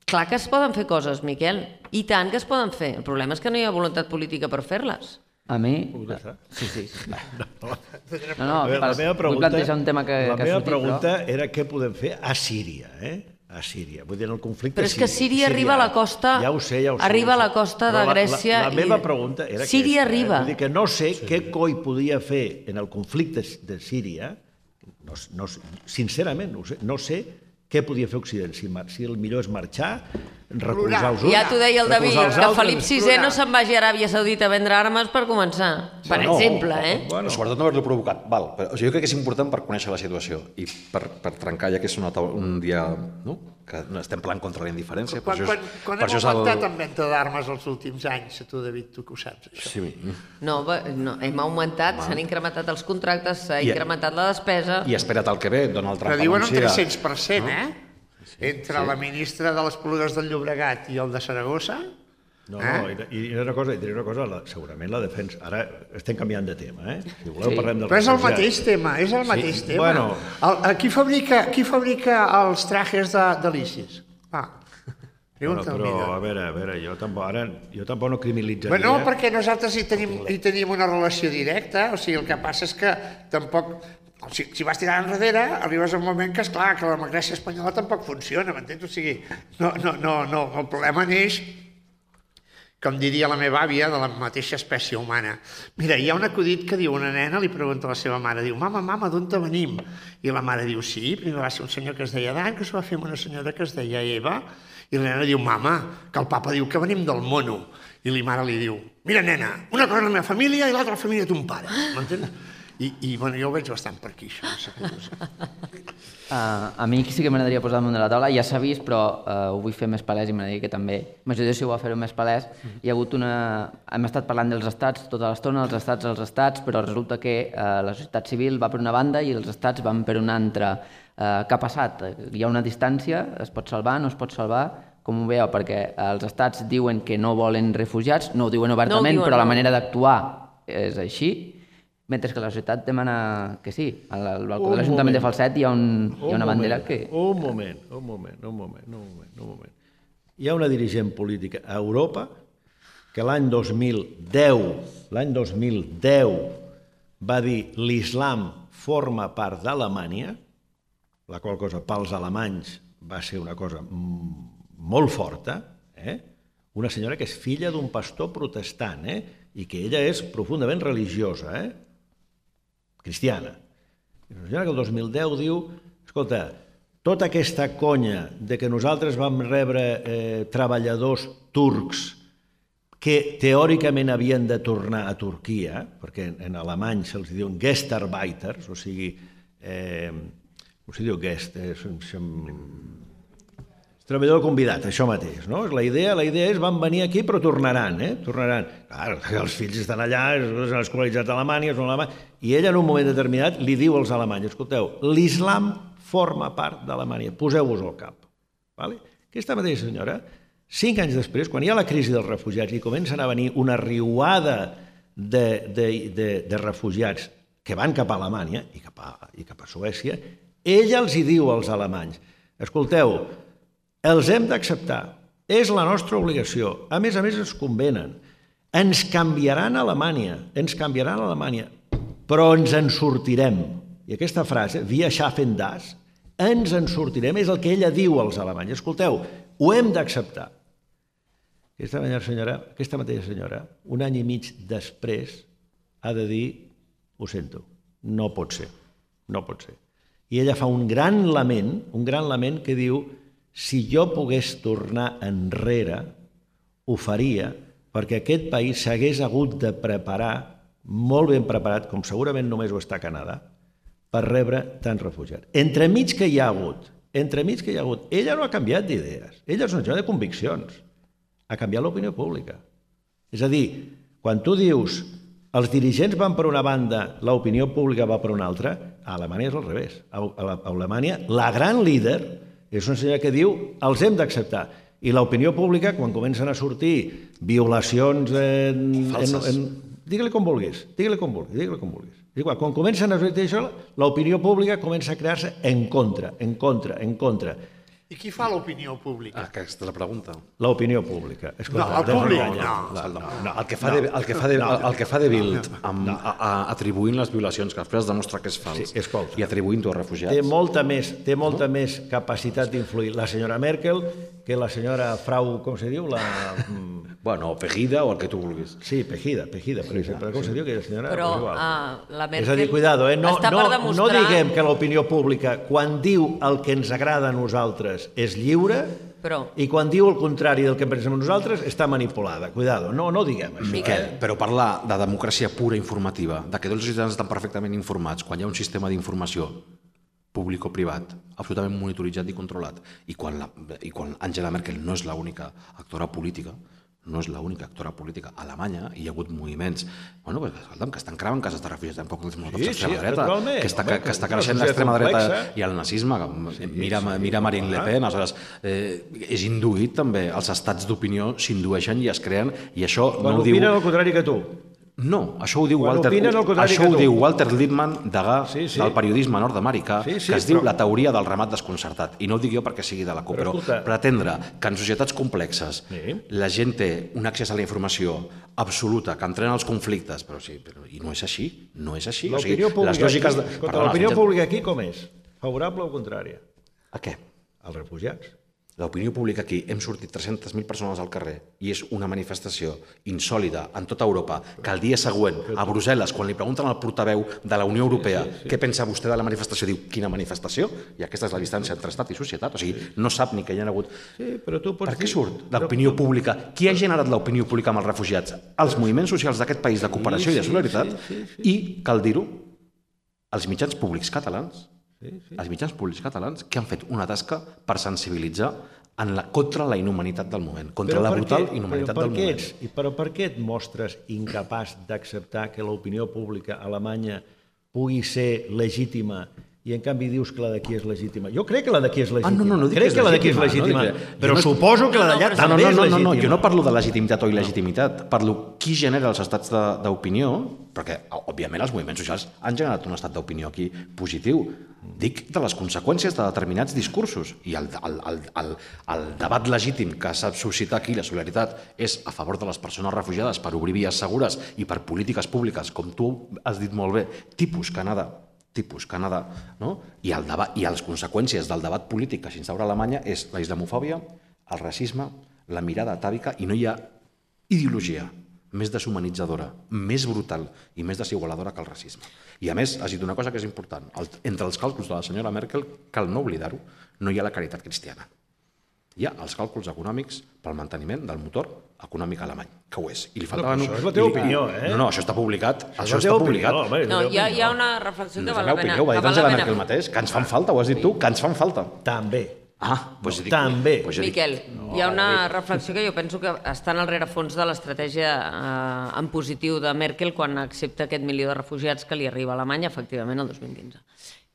clar que es poden fer coses, Miquel, i tant que es poden fer. El problema és que no hi ha voluntat política per fer-les. A mi... Sí. No, vull plantejar un tema que ha sortit. La meva pregunta era què podem fer a Síria, a Síria. Vull dir, en el conflicte... Però és que Síria arriba a la costa... Ja ho sé. Arriba a la costa de Grècia... La meva pregunta era aquesta. Síria arriba. Vull dir que no sé què coi podia fer en el conflicte de Síria, sincerament, no sé què podia fer Occident, si el millor és marxar, recolzar els uns... Ja t'ho deia el David, que Felip VI no se'n vagi a Aràbia Saudita a vendre armes per començar, per exemple. Bueno, sobretot no haver-lo provocat. Però jo crec que és important per conèixer la situació i per trencar, ja que és un dia que estem planant contra la indiferència. Quan hem augmentat en venda d'armes els últims anys, tu, David, tu que ho saps, això? No, hem augmentat, s'han incrementat els contractes, s'ha incrementat la despesa... I espera't el que ve, Donald Trump anuncia... Però diuen un 300%, entre la ministra de les Esplugues del Llobregat i el de Saragossa... No, i una cosa, segurament la defensa... Ara estem canviant de tema, Si voleu parlem del... Però és el mateix tema, és el mateix tema. Qui fabrica els trajes de l'ISIS? Però, a veure, jo tampoc no criminalitzaria... No, perquè nosaltres hi tenim una relació directa, o sigui, el que passa és que tampoc... Si vas tirant enrere, arribes a un moment que, esclar, que la democràcia espanyola tampoc funciona, m'entens? O sigui, no, el problema neix, com diria la meva àvia, de la mateixa espècie humana. Mira, hi ha un acudit que diu, una nena li pregunta a la seva mare, diu, mama, d'on te venim? I la mare diu, sí, primer va ser un senyor que es deia Dan, que s'ho va fer amb una senyora que es deia Eva, i la nena diu, mama, que el papa diu que venim del mono. I la mare li diu, mira, nena, una cosa és la meva família i l'altra la família de ton pare, m'entens? I jo ho veig bastant per aquí, això. A mi sí que m'agradaria posar damunt de la taula, ja s'ha vist, però ho vull fer més palès i m'agradaria que també m'ajudéssiu a fer-ho més palès. Hi ha hagut hem estat parlant dels estats tota l'estona, els estats, però resulta que la societat civil va per una banda i els estats van per una altra. Què ha passat? Hi ha una distància, es pot salvar, no es pot salvar? Com ho veieu? Perquè els estats diuen que no volen refugiats, no ho diuen obertament, però la manera d'actuar és així, mentre que la societat demana que sí. Al balcó de l'Ajuntament de Falset hi ha una bandera que... Un moment. Hi ha una dirigent política a Europa que l'any 2010 va dir l'islam forma part d'Alemanya, la qual cosa pels alemanys va ser una cosa molt forta, una senyora que és filla d'un pastor protestant, i que ella és profundament religiosa, cristiana. Una senyora que el 2010 diu, escolta, tota aquesta conya de que nosaltres vam rebre treballadors turcs que teòricament havien de tornar a Turquia, perquè en alemany se'ls diuen Gastarbeiters, o sigui, com se diu Gast? Treballador convidat, això mateix, no? La idea és van venir aquí però tornaran, tornaran. Clar, els fills estan allà, s'han escolaritzat a Alemanya, i ella en un moment determinat li diu als alemanys, escolteu, l'islam forma part d'Alemanya, poseu-vos al cap. Aquesta mateixa senyora, 5 anys després, quan hi ha la crisi dels refugiats i comencen a venir una riuada de refugiats que van cap a Alemanya i cap a Suècia, ella els hi diu als alemanys, escolteu, els hem d'acceptar, és la nostra obligació, a més ens convenen, ens canviaran a Alemanya, però ens en sortirem. I aquesta frase, wir schaffen das, ens en sortirem, és el que ella diu als alemanys, escolteu, ho hem d'acceptar. Aquesta mateixa senyora, un any i mig després, ha de dir, ho sento, no pot ser. I ella fa un gran lament que diu, si jo pogués tornar enrere, ho faria, perquè aquest país s'hagués hagut de preparar, molt ben preparat, com segurament només ho està a Canadà, per rebre tants refugiats. Entremig que hi ha hagut, ella no ha canviat d'idees, ella és una senyora de conviccions, ha canviat l'opinió pública. És a dir, quan tu dius els dirigents van per una banda, l'opinió pública va per una altra, A Alemanya és al revés. A Alemanya, la gran líder és una senyora que diu els hem d'acceptar. I l'opinió pública, quan comencen a sortir violacions falses. Digue-li com vulguis, digue-li com vulguis. És igual, quan comencen a sortir això, l'opinió pública comença a crear-se en contra. I qui fa l'opinió pública? Aquesta és la pregunta. L'opinió pública. No, el públic, No, el que fa de Bild atribuint les violacions, que després es demostra que és fals, Sí, escolta. i atribuint-ho a refugiats. Té molta més capacitat d'influir la senyora Merkel que la senyora Frau, com se diu? Bueno, Pegida o el que tu vulguis. Sí, Pejida, per exemple. Com se diu aquella senyora? Però Pues igual. la Merkel És a dir, cuidado, està per demostrar... no diguem que l'opinió pública, quan diu el que ens agrada a nosaltres, és lliure, i quan diu el contrari del que pensem nosaltres, està manipulada. Cuidado, no diguem això. Miquel, però parlar de democràcia pura informativa, de que tots els ciutadans estan perfectament informats, quan hi ha un sistema d'informació públic o privat, absolutament monitoritzat i controlat, i quan Angela Merkel no és l'única actora política, a Alemanya hi ha hagut moviments que estan cremant cases de refugiats, tampoc els molotov d'extrema dreta, que està creixent l'extrema dreta i el nazisme. Mira Marine Le Pen, aleshores és induït també, els estats d'opinió s'indueixen i es creen, i això no ho diu... Quan opinen el contrari que tu. No, això ho diu Walter Lippmann, degà del periodisme nord-americà, que es diu la teoria del ramat desconcertat. I no ho dic jo perquè sigui de la CUP, però pretendre que en societats complexes la gent té un accés a la informació absoluta, que entrena els conflictes, i no és així, L'opinió pública aquí com és? Favorable o contrària? A què? Als refugiats. L'opinió pública aquí, hem sortit 300.000 persones al carrer i és una manifestació insòlida en tota Europa, que el dia següent, a Brussel·les, quan li pregunten al portaveu de la Unió Europea què pensa vostè de la manifestació, diu, quina manifestació? I aquesta és la distància entre estat i societat, o sigui, no sap ni que hi ha hagut... Per què surt l'opinió pública? Qui ha generat l'opinió pública amb els refugiats? Els moviments socials d'aquest país de cooperació i de solidaritat, i, cal dir-ho, els mitjans públics catalans, que han fet una tasca per sensibilitzar contra la inhumanitat del moment, contra la brutal inhumanitat del moment. Però per què et mostres incapaç d'acceptar que l'opinió pública alemanya pugui ser legítima i en canvi dius que la d'aquí és legítima? Jo crec que la d'aquí és legítima. Crec que la d'aquí és legítima, però suposo que la d'allà també és legítima. Jo no parlo de legitimitat o il·legitimitat, parlo qui genera els estats d'opinió, perquè, òbviament, els moviments socials han generat un estat d'opinió aquí positiu. Dic de les conseqüències de determinats discursos, i el debat legítim que s'ha suscitat aquí, la solidaritat, és a favor de les persones refugiades per obrir vies segures i per polítiques públiques, com tu has dit molt bé, tipus Canadà, i les conseqüències del debat polític que s'instaura a Alemanya és la islamofòbia, el racisme, la mirada atàvica, i no hi ha ideologia més deshumanitzadora, més brutal i més desigualadora que el racisme. I a més, has dit una cosa que és important. Entre els càlculs de la senyora Merkel, cal no oblidar-ho, no hi ha la caritat cristiana. Hi ha els càlculs econòmics pel manteniment del motor econòmic alemany, que ho és. Això és la teva opinió, eh? No, això està publicat. No, hi ha una reflexió que val la pena. Ho ha dit Angela Merkel mateix, que ens fan falta, ho has dit tu, que ens fan falta. També. També. Miquel, hi ha una reflexió que jo penso que està en el rerefons de l'estratègia en positiu de Merkel quan accepta aquest 1 milió de refugiats que li arriba a Alemanya, efectivament, el 2015.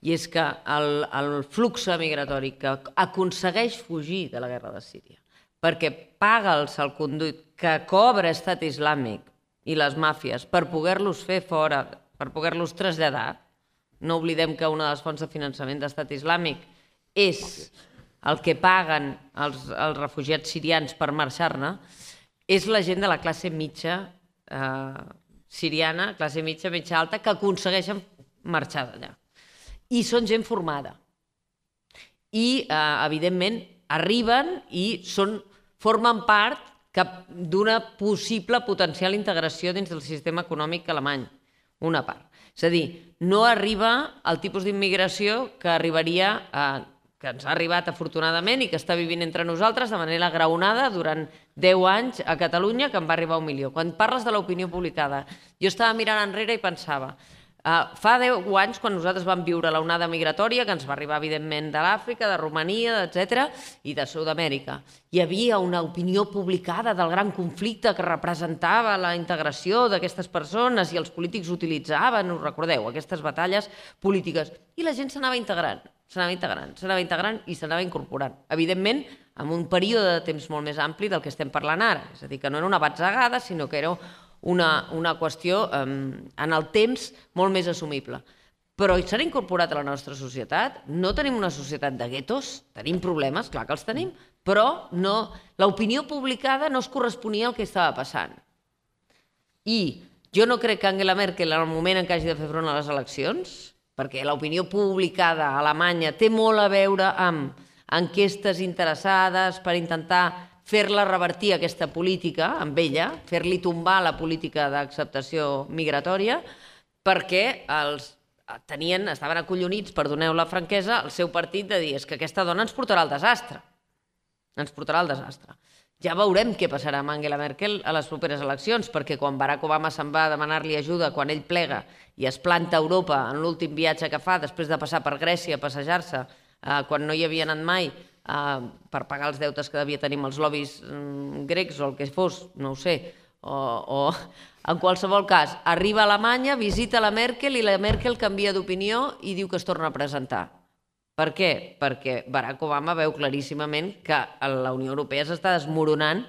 I és que el flux migratori que aconsegueix fugir de la guerra de Síria perquè paga el salconduit que cobra Estat Islàmic i les màfies per poder-los fer fora, per poder-los traslladar, no oblidem que una de les fonts de finançament d'Estat Islàmic és el que paguen els refugiats sirians per marxar-ne, és la gent de la classe mitja siriana, classe mitja alta, que aconsegueixen marxar d'allà. I són gent formada. I, evidentment, arriben i formen part d'una possible potencial integració dins del sistema econòmic alemany. Una part. És a dir, no arriba al tipus d'immigració que arribaria que ens ha arribat afortunadament i que està vivint entre nosaltres de manera graonada durant 10 anys a Catalunya, que en va arribar 1 milió. Quan parles de l'opinió publicada, jo estava mirant enrere i pensava, Fa 10 anys, quan nosaltres vam viure l'onada migratòria, que ens va arribar, evidentment, de l'Àfrica, de Romania, etc., i de Sud-amèrica, hi havia una opinió publicada del gran conflicte que representava la integració d'aquestes persones i els polítics utilitzaven, us recordeu, aquestes batalles polítiques, i la gent s'anava integrant i s'anava incorporant. Evidentment, en un període de temps molt més ampli del que estem parlant ara, és a dir, que no era una batzegada, sinó que era una qüestió en el temps molt més assumible. Però s'han incorporat a la nostra societat. No tenim una societat de guetos, tenim problemes, clar que els tenim, però l'opinió publicada no es corresponia al que estava passant. I jo no crec que Angela Merkel, en el moment en què hagi de fer front a les eleccions, perquè l'opinió publicada a Alemanya té molt a veure amb enquestes interessades per intentar fer-la revertir aquesta política amb ella, fer-li tombar la política d'acceptació migratòria, perquè estaven acollonits, perdoneu la franquesa, el seu partit de dir és que aquesta dona ens portarà al desastre. Ens portarà al desastre. Ja veurem què passarà amb Angela Merkel a les properes eleccions, perquè quan Barack Obama se'n va a demanar-li ajuda, quan ell plega i es planta a Europa en l'últim viatge que fa, després de passar per Grècia a passejar-se, quan no hi havia anat mai, per pagar els deutes que devia tenir amb els lobbies grecs o el que fos, no ho sé, o en qualsevol cas, arriba a Alemanya, visita la Merkel i la Merkel canvia d'opinió i diu que es torna a presentar. Per què? Perquè Barack Obama veu claríssimament que la Unió Europea s'està desmoronant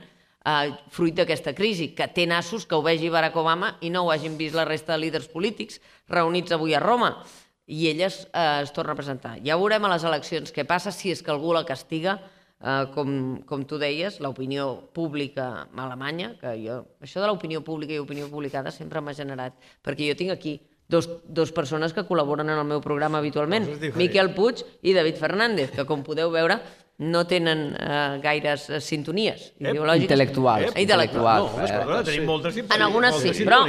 fruit d'aquesta crisi, que té nassos que ho vegi Barack Obama i no ho hagin vist la resta de líders polítics reunits avui a Roma. I ella es torna a presentar. Ja veurem a les eleccions què passa, si és que algú la castiga, com tu deies, l'opinió pública alemanya, que això de l'opinió pública i opinió publicada sempre m'ha generat, perquè jo tinc aquí dos persones que col·laboren en el meu programa habitualment, Miquel Puig i David Fernández, que com podeu veure no tenen gaires sintonies ideològiques. Intel·lectuals. No, tenim moltes sintonies. En algunes sí, però...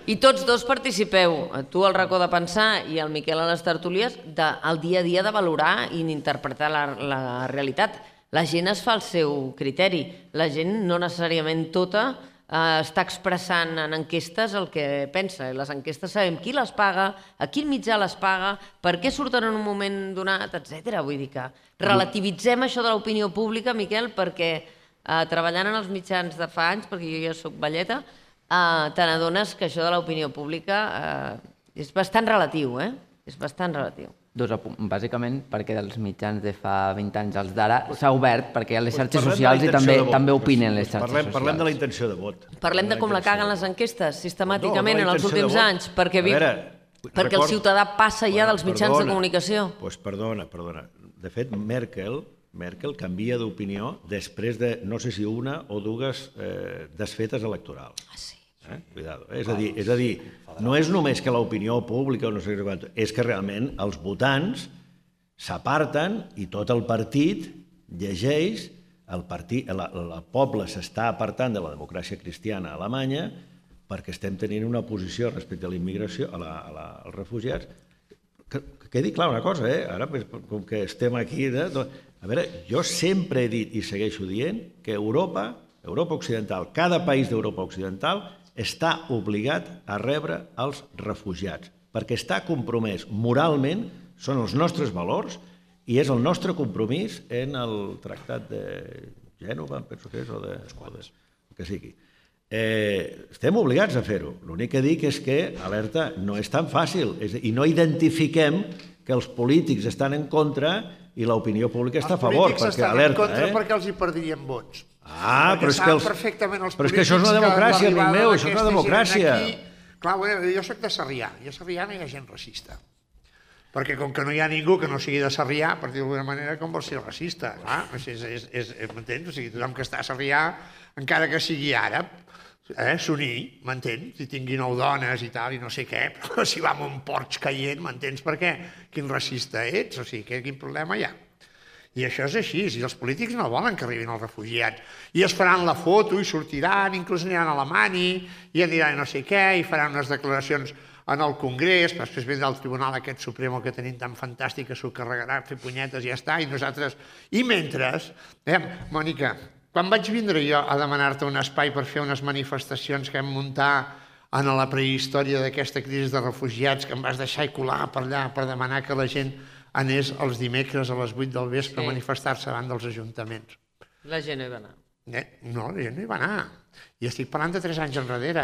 I tots dos participeu, tu al racó de pensar i el Miquel a les tertúlies, del dia a dia de valorar i d'interpretar la realitat. La gent es fa el seu criteri. La gent no necessàriament tota està expressant en enquestes el que pensa. Les enquestes sabem qui les paga, a quin mitjà les paga, per què surten en un moment donat, etc. Vull dir que relativitzem això de l'opinió pública, Miquel, perquè treballant en els mitjans de fa anys, perquè jo ja soc velleta, te n'adones que això de l'opinió pública és bastant relatiu, És bastant relatiu. Bàsicament perquè dels mitjans de fa 20 anys als d'ara s'ha obert, perquè hi ha les xarxes socials i també opinen les xarxes socials. Parlem de la intenció de vot. Parlem de com la caguen les enquestes sistemàticament en els últims anys, perquè el ciutadà passa ja dels mitjans de comunicació. Doncs perdona. De fet, Merkel canvia d'opinió després de, no sé si una o dues desfetes electorals. Ah, sí. Cuidado. És a dir, no és només que l'opinió pública, no sé quant, és que realment els votants s'aparten i tot el partit llegeix, el poble s'està apartant de la democràcia cristiana a Alemanya perquè estem tenint una posició respecte a la immigració, als refugiats. Que quedi clar una cosa, ara com que estem aquí... A veure, jo sempre he dit i segueixo dient que Europa Occidental, cada país d'Europa Occidental està obligat a rebre els refugiats, perquè està compromès moralment, són els nostres valors, i és el nostre compromís en el Tractat de Gènova, penso que és, o de... que sigui. Estem obligats a fer-ho. L'únic que dic és que, alerta, no és tan fàcil, i no identifiquem que els polítics estan en contra i l'opinió pública està a favor, perquè alerta. Els polítics estan en contra perquè els hi perdrien vots. Però és que això és una democràcia, amic meu, això és una democràcia. Clar, jo soc de Sarrià, i a Sarrià no hi ha gent racista. Perquè com que no hi ha ningú que no sigui de Sarrià, per dir-ho d'alguna manera, com vol ser racista? M'entens? O sigui, tothom que està a Sarrià, encara que sigui àrab, s'unir, m'entens? Si tingui 9 dones i tal, i no sé què, però si va amb un Porsche caient, m'entens per què? Quin racista ets? O sigui, quin problema hi ha? I això és així, i els polítics no volen que arribin els refugiats. I es faran la foto i sortiran, inclús aniran a Alemanya, i aniran no sé què, i faran unes declaracions en el Congrés, després vindrà el Tribunal aquest Supremo que tenim tan fantàstic que s'ho carregarà, fer punyetes i ja està, i nosaltres... I mentre, Mònica, quan vaig vindre jo a demanar-te un espai per fer unes manifestacions que vam muntar en la prehistòria d'aquesta crisi de refugiats, que em vas deixar colar per allà per demanar que la gent anés els dimecres a les 8 del vespre a manifestar-se davant dels ajuntaments. La gent no hi va anar. No, la gent no hi va anar. I estic parlant de 3 anys enrere.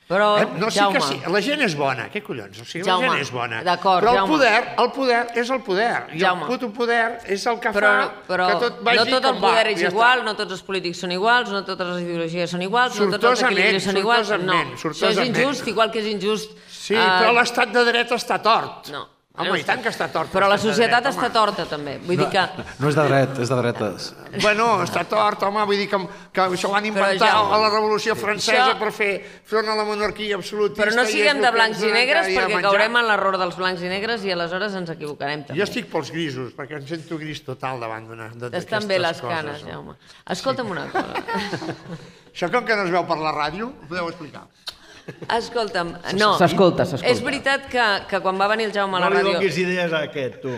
Però, no, sí Jaume... que sí, la gent és bona, què collons? O sigui, Jaume, la gent és bona. d'acord, però Jaume. el poder és el poder. I Jaume. el puto poder és el que Però que tot vagi no tot el com va. poder és Ja igual, està. no tots els polítics són iguals, no totes les ideologies són iguals, no tots els Sortosament, equilibris són iguals. No, sortosament, això és sortosament. injust, igual que és injust... Sí, però l'estat de dret està tort. No. Home, i tant que està tort. Però la l'estat de societat dret, està home. torta, també. Vull dir que... No és de dret, és de dretes. Bueno, està tort, home, vull dir que això ho van inventar Jaume, a la Revolució Francesa això- per fer front a la monarquia absolutista. Però no i és siguem el de que blancs ens i negres donen cada dia perquè a menjar. caurem en l'error dels blancs i negres i aleshores ens equivocarem també. Jo estic pels grisos, perquè em sento gris total davant d'aquestes coses. Estan bé les canes, Jaume. Escolta'm una cosa. Això com que no es veu per la ràdio, ho podeu explicar. Escolta'm, no. S'escolta. És veritat que quan va venir el Jaume a la No li ràdio... donis idees a aquest, tu.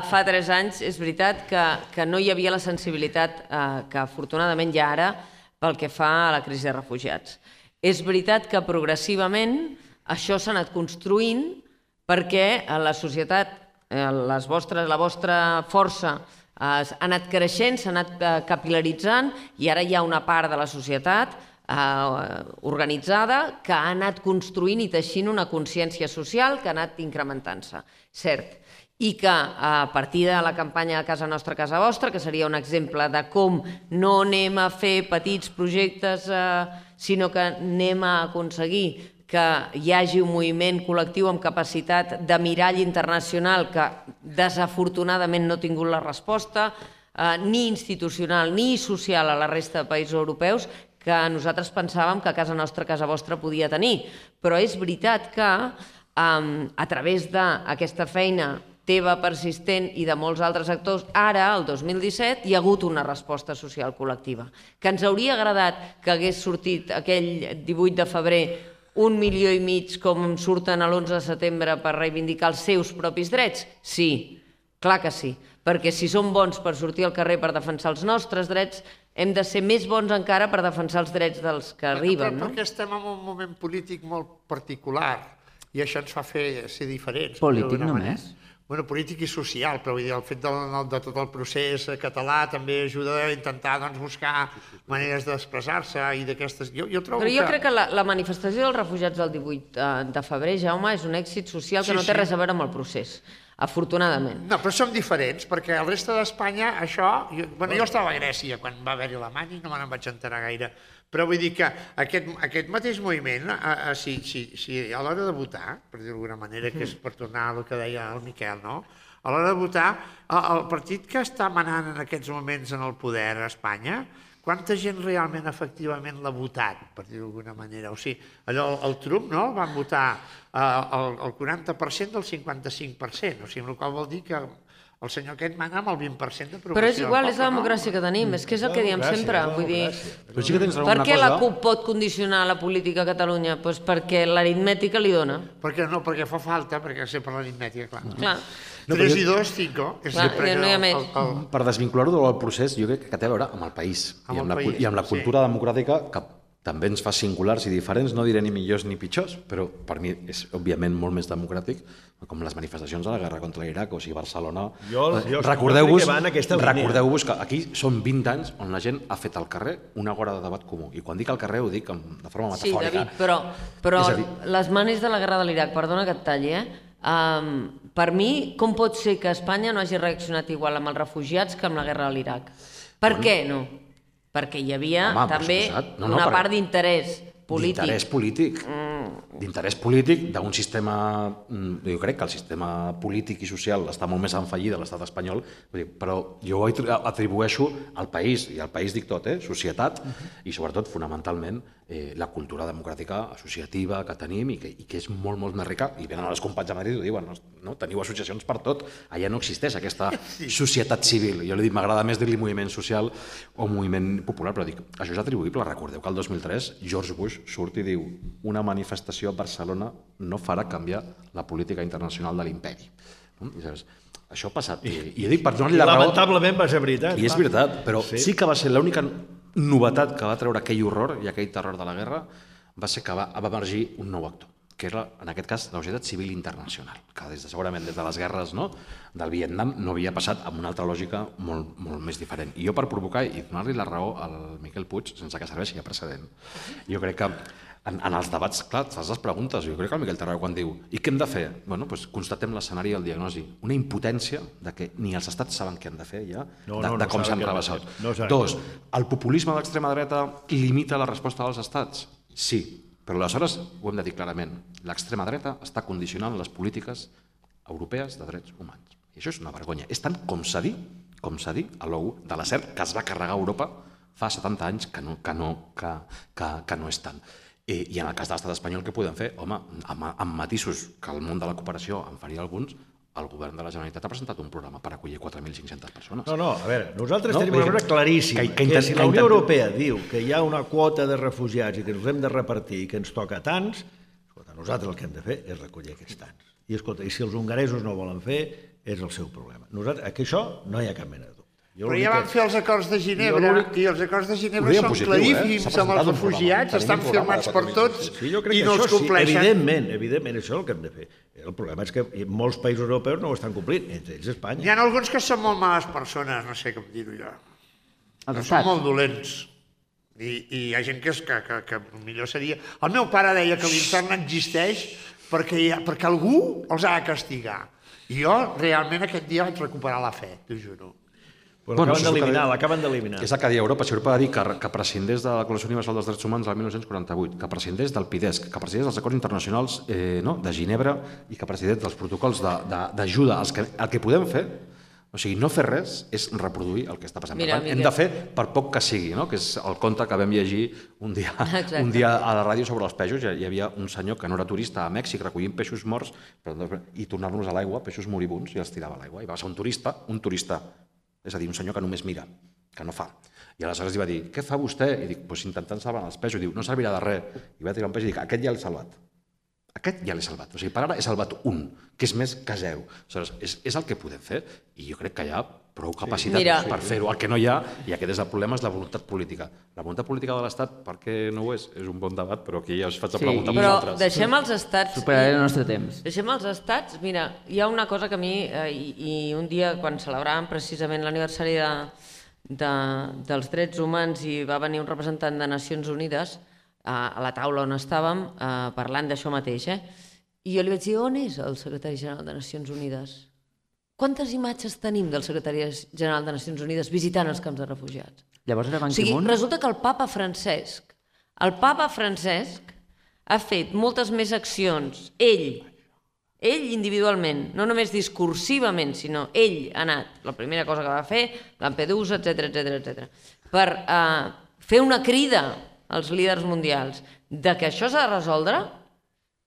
Fa 3 anys és veritat que no hi havia la sensibilitat que afortunadament hi ha ara pel que fa a la crisi de refugiats. És veritat que progressivament això s'ha anat construint perquè la societat, la vostra força ha anat creixent, s'ha anat capil·laritzant i ara hi ha una part de la societat organitzada que ha anat construint i teixint una consciència social que ha anat incrementant-se, cert. I que a partir de la campanya Casa Nostra, Casa Vostra, que seria un exemple de com no anem a fer petits projectes, sinó que anem a aconseguir que hi hagi un moviment col·lectiu amb capacitat de mirall internacional que desafortunadament no ha tingut la resposta, ni institucional ni social a la resta de països europeus, que nosaltres pensàvem que Casa Nostra, Casa Vostra podia tenir. Però és veritat que a través d'aquesta feina teva persistent i de molts altres actors, ara, el 2017, hi ha hagut una resposta social col·lectiva. Que ens hauria agradat que hagués sortit aquell 18 de febrer 1,5 milió com surten l'11 de setembre per reivindicar els seus propis drets? Sí, clar que sí. Perquè si som bons per sortir al carrer per defensar els nostres drets, hem de ser més bons encara per defensar els drets dels que arriben, no? Perquè estem en un moment polític molt particular i això ens fa ser diferents. Polític només? Bueno, polític i social, però vull dir, el fet de tot el procés català també ajuda a intentar buscar maneres d'expressar-se i d'aquestes... Però jo crec que la manifestació dels refugiats del 18 de febrer, Jaume, és un èxit social que no té res a veure amb el procés. Afortunadament. No, però som diferents, perquè al resta d'Espanya això... Jo estava a Grècia quan va haver-hi la mani, no me n'en vaig enterar gaire, però vull dir que aquest mateix moviment, si a l'hora de votar, per dir d'alguna manera, que és per tornar al que deia el Miquel, no? A l'hora de votar, el partit que està manant en aquests moments en el poder a Espanya, quanta gent realment efectivament l'ha votat, per dir d'alguna manera? O sigui, allò, el Trump, no?, van votar el 40% del 55%, o sigui, amb la qual vol dir que el senyor aquest mana amb el 20% d'aprovació. Però és igual, és la democràcia que tenim, és que és el que diem sempre, vull dir... Per què la CUP pot condicionar la política a Catalunya? Doncs perquè l'aritmètica li dona. Perquè fa falta, perquè sé per l'aritmètica, clar. Clar. 3 i 2, 5. No hi ha més. Per desvincular-ho del procés, jo crec que té a veure amb el país i amb la cultura democràtica, que també ens fa singulars i diferents, no diré ni millors ni pitjors, però per mi és òbviament molt més democràtic, com les manifestacions de la guerra contra l'Iraq, o sigui, Barcelona... Recordeu-vos que aquí són 20 anys on la gent ha fet al carrer una hora de debat comú, i quan dic al carrer ho dic de forma metafòrica. Sí, David, però les manis de la guerra de l'Iraq, perdona que et talli, per mi, com pot ser que Espanya no hagi reaccionat igual amb els refugiats que amb la guerra de l'Iraq? Per què no? Perquè hi havia també una part d'interès polític. D'interès polític d'un sistema... Jo crec que el sistema polític i social està molt més enfallit de l'estat espanyol, però jo ho atribueixo al país, i al país dic tot, societat, i sobretot, fonamentalment, la cultura democràtica associativa que tenim i que és molt, molt més rica, i venen els companys de Madrid i ho diuen, no? Teniu associacions per tot, allà no existeix aquesta societat civil. Jo li dic, m'agrada més dir-li moviment social o moviment popular, però dic, això és atribuïble. Recordeu que el 2003 George Bush surt i diu una manifestació a Barcelona no farà canviar la política internacional de l'imperi. Això ha passat. I dic, per donar-li la raó... Lamentablement va ser veritat. I és veritat, però sí que va ser l'única novetat que va treure aquell horror i aquell terror de la guerra va ser que va emergir un nou actor, que era, en aquest cas, la societat civil internacional, que segurament des de les guerres del Vietnam no havia passat amb una altra lògica molt més diferent. I jo, per provocar i donar-li la raó al Miquel Puig, sense que serveixi de precedent, jo crec que en els debats, clar, fas les preguntes. Jo crec que el Miquel Tarragó quan diu i què hem de fer? Bueno, doncs constatem l'escenari i el diagnosi. Una impotència de que ni els estats saben què han de fer ja, de com s'han rebaixat. Dos, el populisme d'extrema dreta limita la resposta dels estats? Sí, però aleshores ho hem de dir clarament. L'extrema dreta està condicionant les polítiques europees de drets humans. I això és una vergonya. És tant com s'ha dit a l'OU de la SER, que es va carregar a Europa fa 70 anys que no és tant. I en el cas de l'estat espanyol, què podem fer? Home, amb matisos que el món de la cooperació en faria alguns, el govern de la Generalitat ha presentat un programa per acollir 4.500 persones. No, a veure, nosaltres tenim una cosa claríssima, que si la Unió Europea diu que hi ha una quota de refugiats i que ens hem de repartir i que ens toca tants, escolta, nosaltres el que hem de fer és recollir aquests tants. I escolta, i si els hongaresos no volen fer, és el seu problema. Nosaltres, que això no hi ha cap mena de dubte. Però ja van fer els acords de Ginebra i els acords de Ginebra són claríssims amb els refugiats, estan firmats per tots i no els compleixen. Evidentment, això és el que hem de fer. El problema és que molts països europeus no ho estan complint, entre ells Espanya. Hi ha alguns que són molt males persones, no sé com dir-ho jo. Són molt dolents. I hi ha gent que millor seria... El meu pare deia que l'infern existeix perquè algú els ha de castigar. I jo realment aquest dia vaig recuperar la fe, t'ho juro. L'acaben d'eliminar. És el que deia Europa. Si Europa va dir que prescindés de la Declaració Universal dels Drets Humans del 1948, que prescindés del PIDESC, que prescindés dels acords internacionals de Ginebra i que prescindés dels protocols d'ajuda. El que podem fer, o sigui, no fer res, és reproduir el que està passant. Hem de fer per poc que sigui, que és el conte que vam llegir un dia a la ràdio sobre els peixos. Hi havia un senyor que no era turista a Mèxic recollint peixos morts i tornar-los a l'aigua, peixos moribuns, i els tirava a l'aigua. I va ser un turista, és a dir, un senyor que només mira, que no fa. I aleshores li va dir, què fa vostè? I dic, doncs intentant salvar els peixos. Diu, no servirà de res. I va tirar un peix i dic, aquest ja l'he salvat. Aquest ja l'he salvat. O sigui, per ara he salvat un, que és més que zero. Aleshores, és el que podem fer. I jo crec que hi ha prou capacitat per fer-ho. El que no hi ha, i aquest és el problema, és la voluntat política. La voluntat política de l'Estat, per què no ho és? És un bon debat, però aquí ja us faig la pregunta a vosaltres. Però deixem els estats... Superaré el nostre temps. Deixem els estats... Mira, hi ha una cosa que a mi, i un dia quan celebràvem precisament l'aniversari dels drets humans i va venir un representant de Nacions Unides a la taula on estàvem parlant d'això mateix, i jo li vaig dir, on és el secretari general de Nacions Unides? Quantes imatges tenim del secretari general de Nacions Unides visitant els camps de refugiats? Llavors era Ban Ki-moon? Resulta que el papa Francesc ha fet moltes més accions, ell individualment, no només discursivament, sinó ell ha anat, la primera cosa que va fer, Lampedusa, etc., per fer una crida als líders mundials de que això s'ha de resoldre,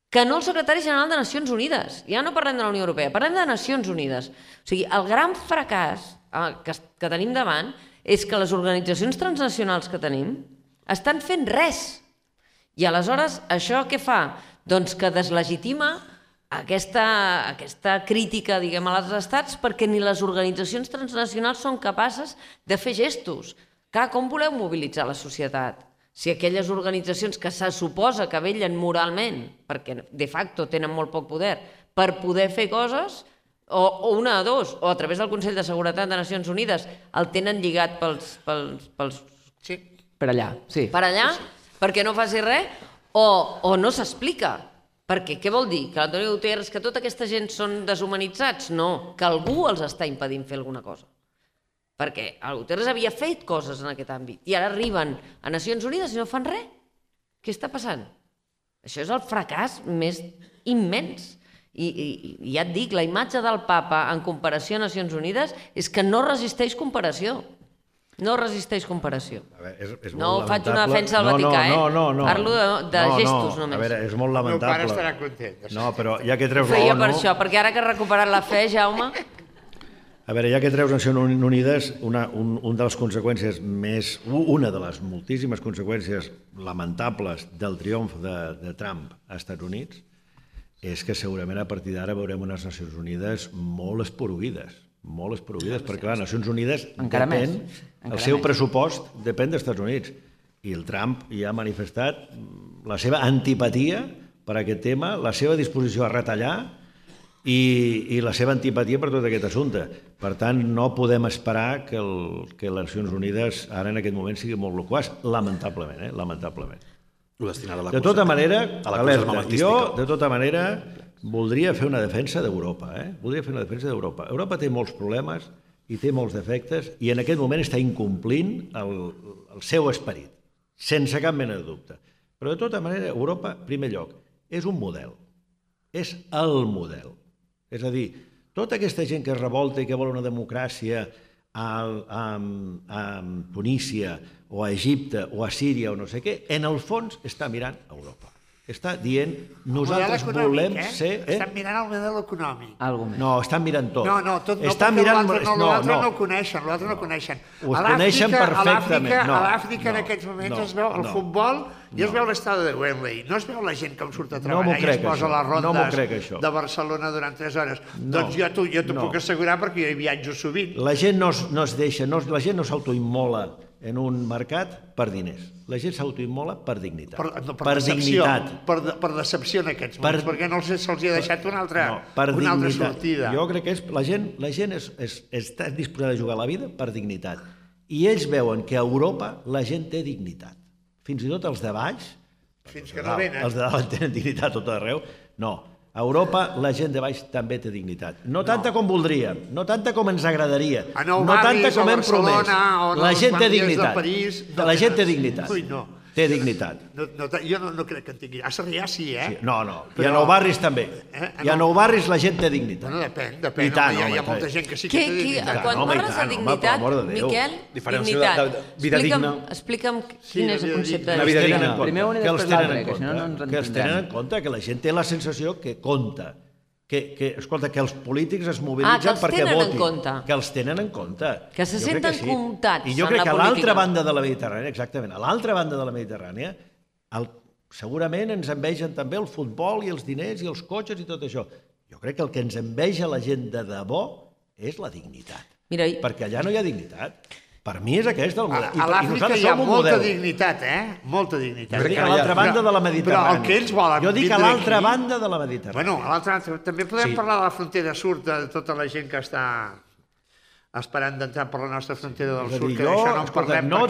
que no el secretari general de Nacions Unides. Ja no parlem de la Unió Europea, parlem de Nacions Unides. O sigui, el gran fracàs que tenim davant és que les organitzacions transnacionals que tenim estan fent res. I aleshores, això què fa? Doncs que deslegitima aquesta crítica, diguem, als estats perquè ni les organitzacions transnacionals són capaces de fer gestos. Com voleu mobilitzar la societat? Si aquelles organitzacions que se suposa que vellen moralment, perquè de facto tenen molt poc poder, per poder fer coses, o una de dos, o a través del Consell de Seguretat de Nacions Unides, el tenen lligat pels... Sí. Per allà, sí. Per allà, perquè no faci res, o no s'explica. Perquè què vol dir? Que l'Antonio Guterres, que tota aquesta gent són deshumanitzats? No, que algú els està impedint fer alguna cosa. Perquè el Guterres havia fet coses en aquest àmbit i ara arriben a Nacions Unides i no fan res. Què està passant? Això és el fracàs més immens. I ja et dic, la imatge del papa en comparació a Nacions Unides és que no resisteix comparació. No resisteix comparació. No faig una defensa del Vaticà, parlo de gestos només. A veure, és molt lamentable. El meu pare estarà content. No, però ja que treus l'ONU... Feia per això, perquè ara que has recuperat la fe, Jaume... A veure, ja que treus Nacions Unides, una de les conseqüències una de les moltíssimes conseqüències lamentables del triomf de Trump als Estats Units és que segurament a partir d'ara veurem unes Nacions Unides molt esporuguides, molt esporuguides, perquè clar, Nacions Unides Encara depèn, més. el seu pressupost depèn dels Estats Units. I el Trump ja ha manifestat la seva antipatia per aquest tema, la seva disposició a retallar i la seva antipatia per tot aquest assumpte. Per tant, no podem esperar que les Nacions Unides ara en aquest moment sigui molt loquaç, lamentablement, lamentablement. De tota manera, alerta, jo de tota manera voldria fer una defensa d'Europa, voldria fer una defensa d'Europa. Europa té molts problemes i té molts defectes i en aquest moment està incomplint el seu esperit, sense cap mena de dubte. Però de tota manera, Europa, en primer lloc, és un model, és el model. És a dir, tota aquesta gent que es revolta i que vol una democràcia a Tunísia o a Egipte o a Síria o no sé què, en el fons està mirant a Europa. Està dient, nosaltres volem ser... Estan mirant el model econòmic. No, estan mirant tot. No, tot no, perquè l'altre no ho coneixen, l'altre no ho coneixen. Ho coneixen perfectament. A l'Àfrica en aquests moments es veu el futbol i es veu l'estadi de Wembley. No es veu la gent com surt a treballar i es posa les rondes de Barcelona durant 3 hores. Doncs jo t'ho puc assegurar perquè jo hi viatjo sovint. La gent no es deixa, la gent no s'autoimmola en un mercat per diners. La gent s'autoimmola per dignitat. Per dignitat. Per decepció en aquests moments, perquè no se'ls ha deixat una altra sortida. Jo crec que la gent està disposada a jugar la vida per dignitat. I ells veuen que a Europa la gent té dignitat. Fins i tot els de baix, fins que no venen. Els de dalt tenen dignitat tot arreu. No, a Europa la gent de baix també té dignitat. No tanta com voldríem, no tanta com ens agradaria, no tanta com hem promès. La gent té dignitat. La gent té dignitat. Té dignitat. Jo no crec que en tingui. A Sarrià sí, No, i a Nou Barris també. I a Nou Barris la gent té dignitat. Bueno, depèn. Hi ha molta gent que sí que té dignitat. Quan parles de dignitat, Miquel, dignitat, explica'm quin és el concepte de dignitat. Primer un i després l'altre, que si no ens entendrem. Que els tenen en compte, que la gent té la sensació que compta. Escolta, que els polítics es mobilitzen perquè votin. Que els tenen en compte. Que se senten comptats en la política. I jo crec que a l'altra banda de la Mediterrània, exactament, a l'altra banda de la Mediterrània, segurament ens envegen també el futbol i els diners i els cotxes i tot això. Jo crec que el que ens enveja la gent de debò és la dignitat. Perquè allà no hi ha dignitat. Per mi és aquest el model. A l'Àfrica hi ha molta dignitat, Molta dignitat. Jo dic a l'altra banda de la Mediterrània. Però el que ells volen... Jo dic a l'altra banda de la Mediterrània. Bueno, a l'altra banda... També podem parlar de la frontera sud, de tota la gent que està esperant d'entrar per la nostra frontera del sud, que d'això no en parlem. No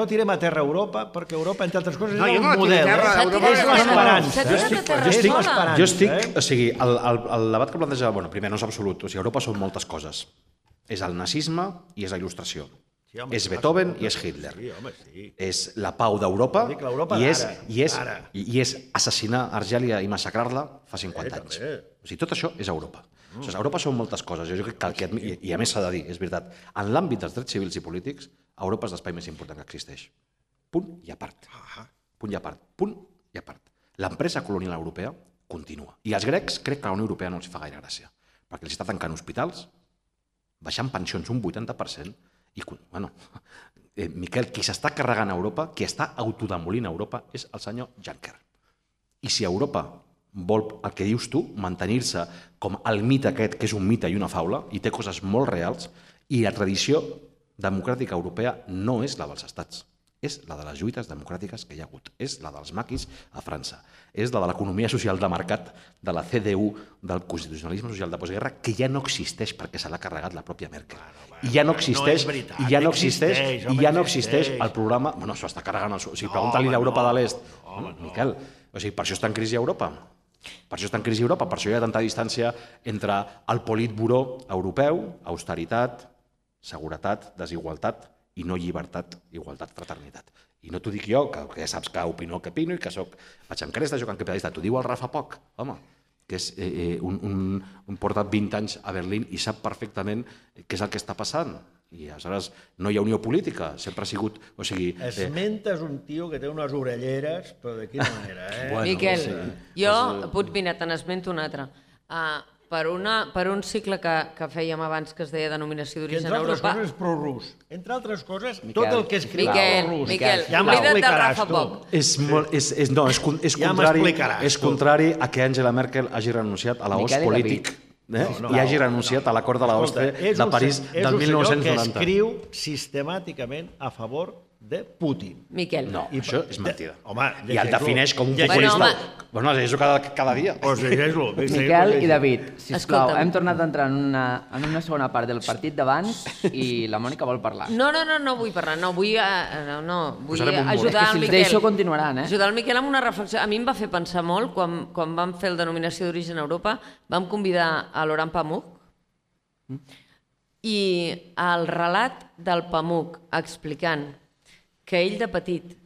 tirem a terra Europa, perquè Europa, entre altres coses, és un model. És l'esperança. Jo estic... O sigui, el debat que planteja... Bueno, primer, no és absolut. O sigui, Europa són moltes coses. És el nazisme i és la il·lustració. És Beethoven i és Hitler. És la pau d'Europa i és assassinar Argèlia i massacrar-la fa 50 anys. O sigui, tot això és Europa. Europa són moltes coses. I a més s'ha de dir, és veritat, en l'àmbit dels drets civils i polítics, Europa és l'espai més important que existeix. Punt i a part. Punt i a part. Punt i a part. L'empresa colonial europea continua. I als grecs crec que a la Unió Europea no els fa gaire gràcia, perquè els està tancant hospitals, baixant pensions un 80%, i, bueno, Miquel, qui s'està carregant a Europa, qui està autodemolint a Europa, és el senyor Juncker. I si Europa vol, el que dius tu, mantenir-se com el mite aquest, que és un mite i una faula, i té coses molt reals, i la tradició democràtica europea no és la dels estats, és la de les lluites democràtiques que hi ha hagut, és la dels maquis a França, és la de l'economia social de mercat, de la CDU, del constitucionalisme social de postguerra, que ja no existeix perquè se l'ha carregat la pròpia Merkel. I ja no existeix el programa... Bueno, s'ho està carregant... O sigui, pregunta-li a l'Europa de l'Est. Miquel, o sigui, per això està en crisi Europa. Per això està en crisi Europa, per això hi ha tanta distància entre el Politburó europeu, austeritat, seguretat, desigualtat, i no llibertat, igualtat, fraternitat. I no t'ho dic jo, que ja saps que opino el que opino i que vaig amb cresta, joc en capitalista. T'ho diu el Rafa Poch, home, que és porta 20 anys a Berlín i sap perfectament què és el que està passant. I aleshores no hi ha unió política, sempre ha sigut... Esmentes un tio que té unes orelleres, però de quina manera, Miquel, jo, mira, te n'esmento un altre. Per un cicle que fèiem abans que es deia denominació d'origen a Europa... Entre altres coses és prorus. Entre altres coses, tot el que escriu prorus. Miquel, oblida't del Rafa Poch. És contrari a que Angela Merkel hagi renunciat a l'os polític i hagi renunciat a l'acord de l'OSCE de París del 1990. És un senyor que escriu sistemàticament a favor de Putin. Miquel. No, això és mentida. Home, I el defineix com un Bueno, populista. Bueno, llegeixo cada dia. Pues llegeix-lo. Miquel i David, sisplau, Escolta'm. hem tornat a entrar en una segona part del partit d'abans i la Mònica vol parlar. No vull parlar, vull Posarem un mur. ajudar És que el si els Miquel. deixo continuaran, eh? Ajudar el Miquel amb una reflexió. A mi em va fer pensar molt, quan vam fer el denominació d'origen a Europa, vam convidar a Laurent Pamuk, i el relat del Pamuk explicant que ell de petit,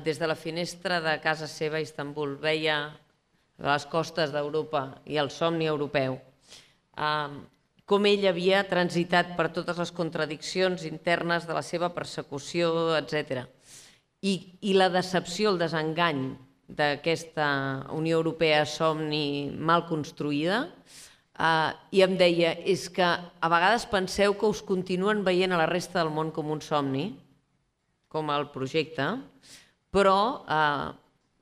des de la finestra de casa seva a Istanbul, veia les costes d'Europa i el somni europeu, com ell havia transitat per totes les contradiccions internes de la seva persecució, etc. I la decepció, el desengany d'aquesta Unió Europea somni mal construïda, i em deia, és que a vegades penseu que us continuen veient a la resta del món com un somni, com el projecte, però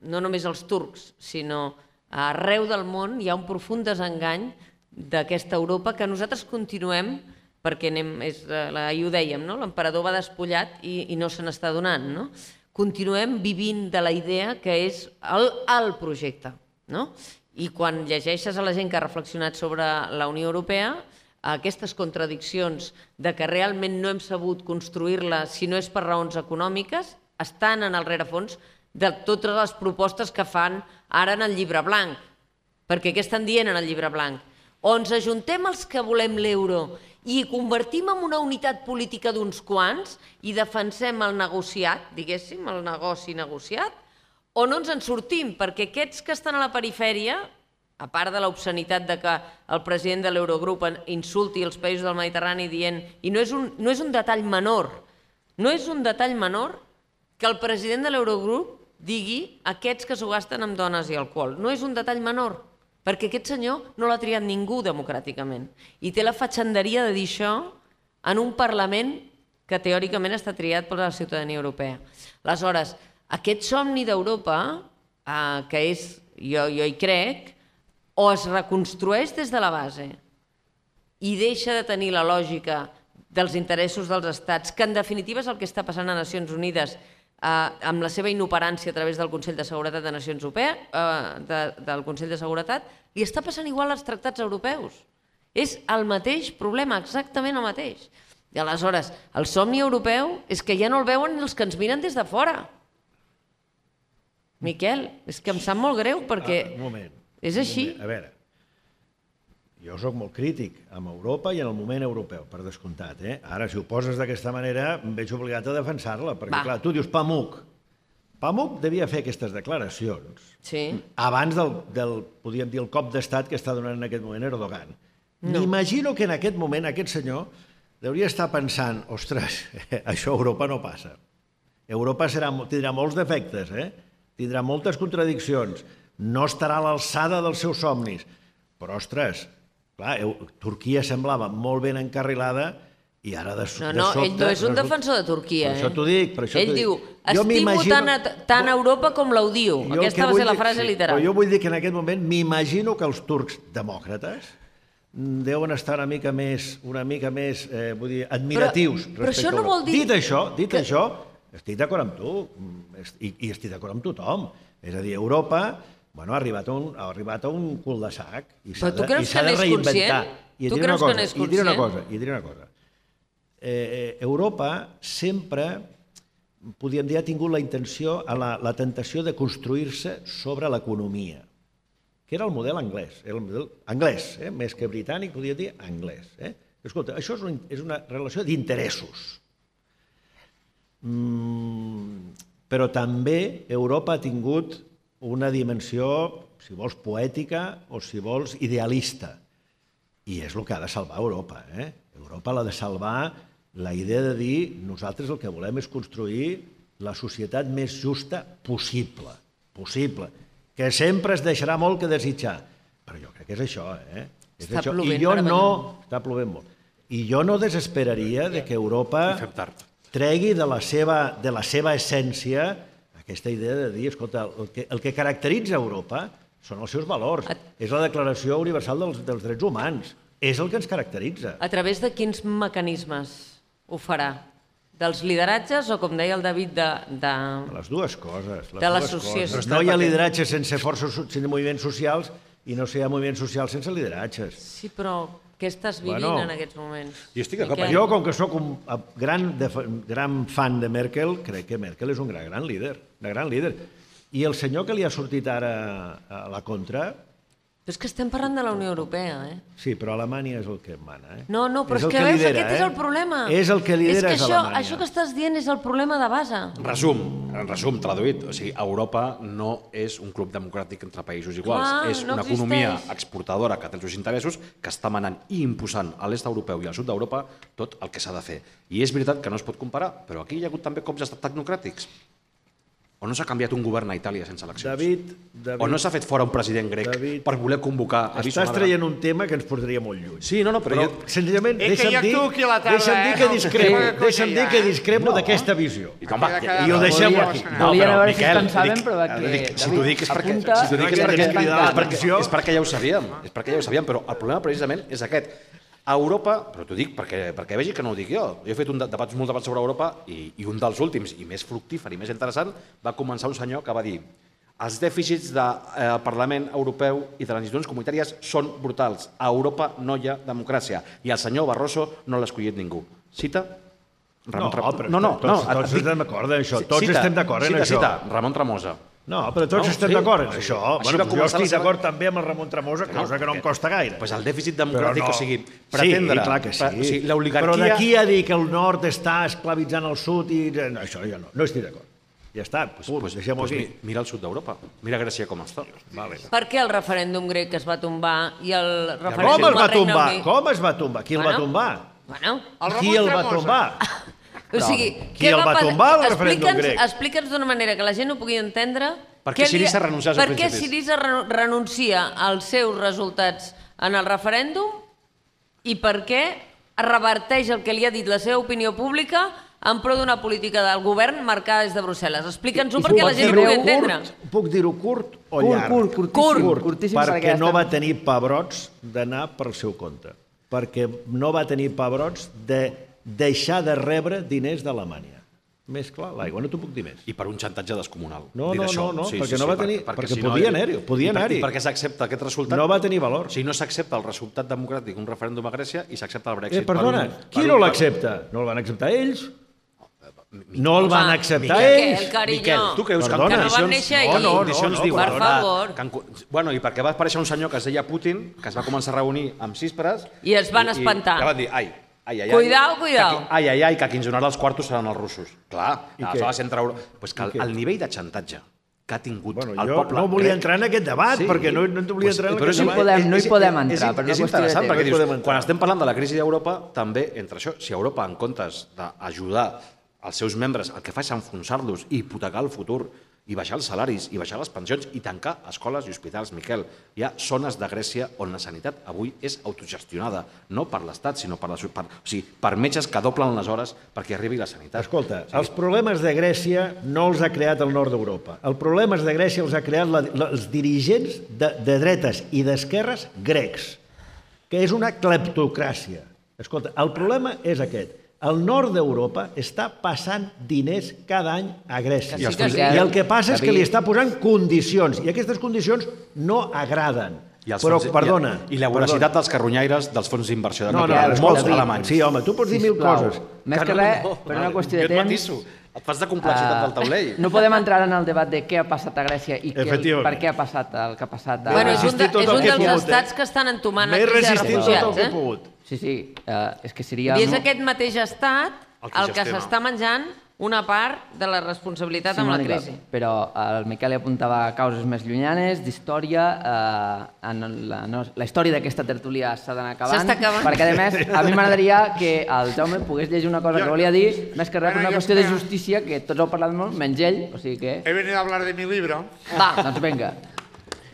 no només els turcs, sinó arreu del món hi ha un profund desengany d'aquesta Europa que nosaltres continuem, perquè ahir ho dèiem, l'emperador va despullat i no se n'està donant, continuem vivint de la idea que és el projecte. I quan llegeixes a la gent que ha reflexionat sobre la Unió Europea, aquestes contradiccions de que realment no hem sabut construir-la si no és per raons econòmiques, estan en el rerefons de totes les propostes que fan ara en el llibre blanc. Perquè què estan dient en el llibre blanc? O ens ajuntem els que volem l'euro i convertim en una unitat política d'uns quants i defensem el negociat, diguéssim, el negoci negociat, o no ens en sortim, perquè aquests que estan a la perifèria, a part de l'obscenitat de que el president de l'Eurogrup insulti els països del Mediterrani dient, i no és un detall menor, no és un detall menor que el president de l'Eurogrup digui aquests que s'ho gasten amb dones i alcohol. No és un detall menor, perquè aquest senyor no l'ha triat ningú democràticament. I té la fatxenderia de dir això en un Parlament que teòricament està triat per la ciutadania europea. Aleshores, aquest somni d'Europa, que és, jo hi crec, o es reconstrueix des de la base i deixa de tenir la lògica dels interessos dels estats, que en definitiva és el que està passant a Nacions Unides amb la seva inoperància a través del Consell de Seguretat de Nacions Unides, del Consell de Seguretat, li està passant igual als tractats europeus. És el mateix problema, exactament el mateix. I aleshores, el somni europeu és que ja no el veuen ni els que ens miren des de fora. Miquel, és que em sap molt greu perquè és així. A veure, jo soc molt crític amb Europa i en el moment europeu, per descomptat. Ara, si ho poses d'aquesta manera, em veig obligat a defensar-la, perquè, clar, tu dius Pamuk. Pamuk devia fer aquestes declaracions abans del, podríem dir, el cop d'estat que està donant en aquest moment Erdogan. M'imagino que en aquest moment aquest senyor hauria estar pensant, ostres, això a Europa no passa. Europa tindrà molts defectes, tindrà moltes contradiccions, no estarà a l'alçada dels seus somnis. Però, ostres, clar, Turquia semblava molt ben encarrilada i ara de sobte... No, ell no és un defensor de Turquia. Per això t'ho dic. Ell diu, estimo tant Europa com l'odio. Aquesta va ser la frase literal. Però jo vull dir que en aquest moment m'imagino que els turcs demòcrates deuen estar una mica més vull dir, admiratius. Però això no vol dir... Dit això, estic d'acord amb tu i estic d'acord amb tothom. És a dir, Europa ha arribat a un cul de sac i s'ha de reinventar. Tu creus que n'és conscient? I diré una cosa. Europa sempre, podríem dir, ha tingut la intenció, la tentació de construir-se sobre l'economia, que era el model anglès. Era el model anglès, més que britànic, podríem dir anglès. Escolta, això és una relació d'interessos. Però també Europa ha tingut una dimensió, si vols, poètica o, si vols, idealista. I és el que ha de salvar Europa. Europa l'ha de salvar la idea de dir nosaltres el que volem és construir la societat més justa possible, que sempre es deixarà molt que desitjar. Però jo crec que és això. Està plovent meravellós. Està plovent molt. I jo no desesperaria que Europa tregui de la seva essència aquesta idea de dir, escolta, el que caracteritza Europa són els seus valors, és la Declaració Universal dels Drets Humans, és el que ens caracteritza. A través de quins mecanismes ho farà? Dels lideratges o, com deia el David, de Les dues coses. De l'associació. No hi ha lideratge sense sense moviments socials i no hi ha moviments socials sense lideratges. Sí, però què estàs vivint en aquests moments? Jo estic d'acord. Jo, com que sóc un gran fan de Merkel, crec que Merkel és un gran líder, una gran líder. I el senyor que li ha sortit ara a la contra... Però és que estem parlant de la Unió Europea, eh? Sí, però Alemanya és el que mana, eh? No, però és que veus, aquest és el problema. És el que lidera, és Alemanya. Això que estàs dient és el problema de base. En resum, traduït, o sigui, Europa no és un club democràtic entre països iguals, és una economia exportadora que té els seus interessos, que està manant i imposant a l'est europeu i al sud d'Europa tot el que s'ha de fer. I és veritat que no es pot comparar, però aquí hi ha hagut també cops d'estat tecnocràtics. O no s'ha canviat un govern a Itàlia sense eleccions? David... O no s'ha fet fora un president grec per voler convocar... Estàs traient un tema que ens portaria molt lluny. Sí, però senzillament, deixa'm dir que discrepo d'aquesta visió. I ho deixem aquí. Volien a veure si es pensaven, però si t'ho dic és perquè ja ho sabíem. És perquè ja ho sabíem, però el problema precisament és aquest. A Europa, però t'ho dic perquè vegi que no ho dic jo, jo he fet molts debats sobre Europa i un dels últims i més fructífer i més interessant va començar un senyor que va dir els dèficits del Parlament Europeu i de les institucions comunitàries són brutals. A Europa no hi ha democràcia i el senyor Barroso no l'ha escollit ningú. Cita? Tots estem d'acord en això. Tots estem d'acord en això. Cita, Ramon Tremosa. No, però tots estem d'acord en això. Jo estic d'acord també amb el Ramon Tremosa, cosa que no em costa gaire. Doncs el dèficit democràtic, o sigui, pretendre... Sí, clar que sí. Però d'aquí a dir que el nord està esclavitzant el sud i... Això ja no estic d'acord. Ja està, deixem-ho aquí. Mira el sud d'Europa, mira Grècia com està. Per què el referèndum grec es va tombar i el referèndum al Regne Unit... Com es va tombar? Qui el va tombar? Qui el va tombar? O sigui, qui el va tombar, el referèndum grec? Explica'ns d'una manera que la gent ho pugui entendre... Per què Syriza renuncia als principis? Per què Syriza renuncia als seus resultats en el referèndum i per què reverteix el que li ha dit la seva opinió pública en pro d'una política del govern marcada des de Brussel·les. Explica'ns-ho perquè la gent ho pugui entendre. Puc dir-ho curt o llarg? Curt. Perquè no va tenir pebrots d'anar pel seu compte. Perquè no va tenir pebrots de deixar de rebre diners d'Alemanya. Més clar, l'aigua, no t'ho puc dir més. I per un xantatge descomunal. No, perquè no va tenir... Perquè podia anar-hi. I perquè s'accepta aquest resultat... No va tenir valor. O sigui, no s'accepta el resultat democràtic, un referèndum a Grècia, i s'accepta el Brexit. Perdona, qui no l'accepta? No el van acceptar ells? No el van acceptar ells? Miquel, tu creus que en condicions d'igualtat... Per favor. Bueno, i perquè va aparèixer un senyor que es deia Putin, que es va començar a reunir amb císpres... I es van espantar. I van dir, Cuidao. Que qui ens donarà els quartos seran els russos. Clar, aleshores entre... El nivell de xantatge que ha tingut el poble... No volia entrar en aquest debat, perquè no volia entrar en aquest debat. No hi podem entrar. És interessant, perquè dius, quan estem parlant de la crisi d'Europa, també entre això, si Europa, en comptes d'ajudar els seus membres, el que fa és enfonsar-los i hipotecar el futur, i baixar els salaris, i baixar les pensions, i tancar escoles i hospitals, Miquel. Hi ha zones de Grècia on la sanitat avui és autogestionada, no per l'Estat, sinó per metges que doblen les hores perquè arribi la sanitat. Escolta, els problemes de Grècia no els ha creat el nord d'Europa. Els problemes de Grècia els ha creat els dirigents de dretes i d'esquerres grecs, que és una cleptocràcia. Escolta, el problema és aquest. El nord d'Europa està passant diners cada any a Grècia. I el que passa és que li està posant condicions, i aquestes condicions no agraden. Però, perdona... I la voracitat dels carronyaires dels fons d'inversió de molts alemanys. Sí, home, tu pots dir 1000 coses. Més que res, per una qüestió de temps... Et fas de complexitat del taulell. No podem entrar en el debat de què ha passat a Grècia i per què ha passat el que ha passat. És un dels estats que estan entomant la crisi de refugiats. Sí, és que seria... I és aquest mateix estat el que s'està menjant una part de la responsabilitat amb la crisi. Però el Miquel apuntava causes més llunyanes, d'història. La història d'aquesta tertúlia s'ha d'anar acabant. S'està acabant. Perquè, a més, a mi m'agradaria que el Jaume pogués llegir una cosa que volia dir, més que res per una qüestió de justícia, que tots heu parlat molt, menys ell. He venido a hablar de mi libro. Va, doncs vinga.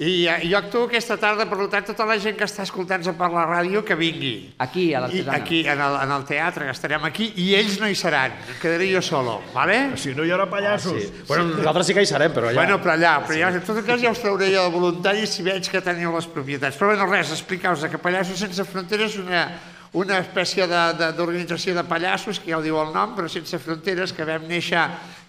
I jo actuo aquesta tarda, per tant, tota la gent que està escoltant-se per la ràdio, que vingui. Aquí, a l'Artesana. Aquí, en el teatre, que estarem aquí, i ells no hi seran, quedaré jo solo, vale? Si no hi haurà pallassos. Bueno, nosaltres sí que hi serem, però allà... Bueno, però allà, en tot cas ja us trauré jo de voluntari si veig que teniu les propietats. Però bueno, res, explicar-vos que Pallassos Sense Fronteres és una espècie d'organització de pallassos, que ja ho diu el nom, però sense fronteres, que vam néixer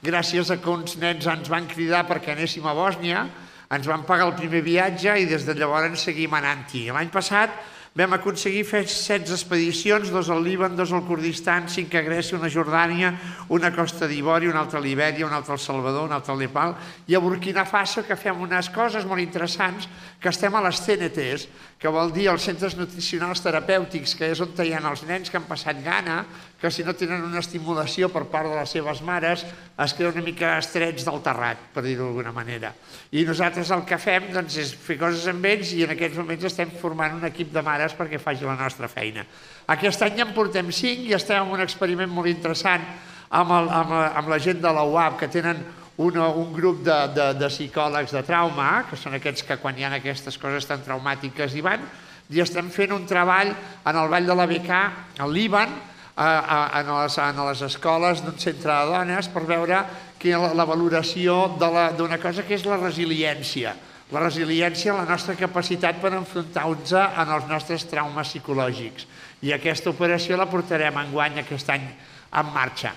gràcies a que uns nens ens van cridar perquè anéssim a Bòsnia, ens van pagar el primer viatge i des de llavors seguim anant-hi. L'any passat vam aconseguir fer 16 expedicions, 2 al Líban, 2 al Kurdistan, 5 a Grècia, una a Jordània, una a Costa d'Ivori, una altra a Libèria, una altra al Salvador, una altra al Nepal, i a Burkina Faso, que fem unes coses molt interessants, que estem a les CNTs, que vol dir els centres nutricionals terapèutics, que és on hi ha els nens que han passat gana, que si no tenen una estimulació per part de les seves mares es queden una mica estrets del terrat, per dir-ho d'alguna manera. I nosaltres el que fem és fer coses amb ells i en aquests moments estem formant un equip de mares perquè faci la nostra feina. Aquest any ja en portem 5 i estem en un experiment molt interessant amb la gent de la UAB, que tenen un grup de psicòlegs de trauma, que són aquests que quan hi ha aquestes coses tan traumàtiques hi van, i estem fent un treball en el Vall de la Bekaa, al Líban, en les escoles d'un centre de dones, per veure la valoració d'una cosa que és la resiliència. La resiliència, la nostra capacitat per enfrontar-nos als nostres traumes psicològics. I aquesta operació la portarem enguany aquest any en marxa.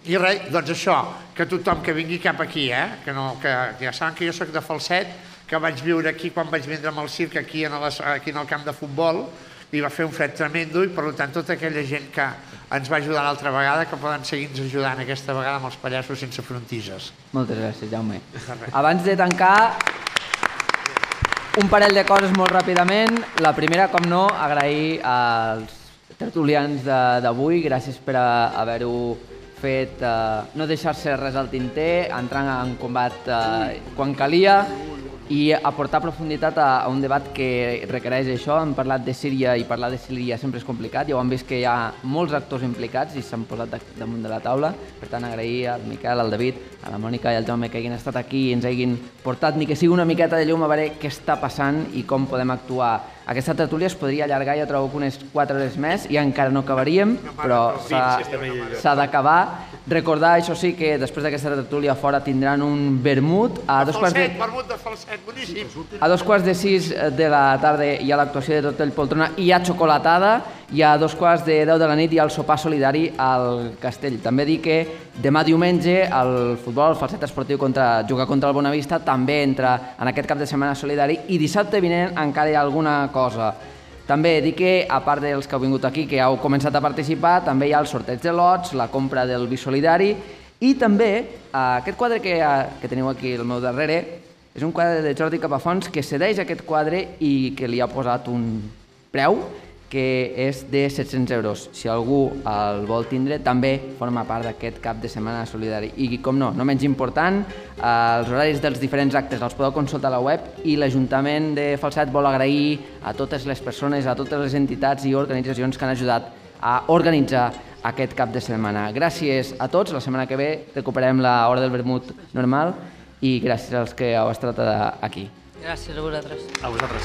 I res, doncs això, que tothom que vingui cap aquí, que ja saben que jo soc de Falset, que vaig viure aquí quan vaig vindre amb el circ aquí en el camp de futbol, i va fer un fred tremendo, i per tant tota aquella gent que ens va ajudar l'altra vegada, que poden seguir-nos ajudant aquesta vegada amb els Pallassos Sense Frontises. Moltes gràcies, Jaume. Abans de tancar, un parell de coses molt ràpidament. La primera, com no, agrair als tertulians d'avui, gràcies per haver-ho fet, no deixar-se res al tinter, entrar en combat quan calia i aportar profunditat a un debat que requereix això. Hem parlat de Síria i parlar de Síria sempre és complicat, ja ho hem vist que hi ha molts actors implicats i s'han posat damunt de la taula. Per tant, agrair al Miquel, al David, a la Mònica i al Jaume que hagin estat aquí i ens hagin portat ni que sigui una miqueta de llum a veure què està passant i com podem actuar. Aquesta tertúlia es podria allargar, jo trobo que unes 4 hores més i encara no acabaríem, però s'ha d'acabar. Recordar, això sí, que després d'aquesta tertúlia fora tindran un vermut a dos quarts de 6 de la tarda hi ha l'actuació de Tortell Poltrona i hi ha xocolatada, i a 2:15 de la nit hi ha el sopar solidari al Castell. També dic que demà diumenge el futbol, el Falset Esportiu juga contra el Bonavista, també entra en aquest cap de setmana solidari, i dissabte vinent encara hi ha alguna cosa. També dic que, a part dels que heu vingut aquí, que heu començat a participar, també hi ha el sorteig de lots, la compra del vi solidari, i també aquest quadre que teniu aquí al meu darrere és un quadre de Jordi Capafons que cedeix aquest quadre i que li ha posat un preu que és de 700 euros. Si algú el vol tindre, també forma part d'aquest cap de setmana solidari. I, com no menys important, els horaris dels diferents actes els podeu consultar a la web, i l'Ajuntament de Falset vol agrair a totes les persones, a totes les entitats i organitzacions que han ajudat a organitzar aquest cap de setmana. Gràcies a tots. La setmana que ve recuperem l'hora del vermut normal i gràcies als que heu estat aquí. Gràcies a vosaltres. A vosaltres.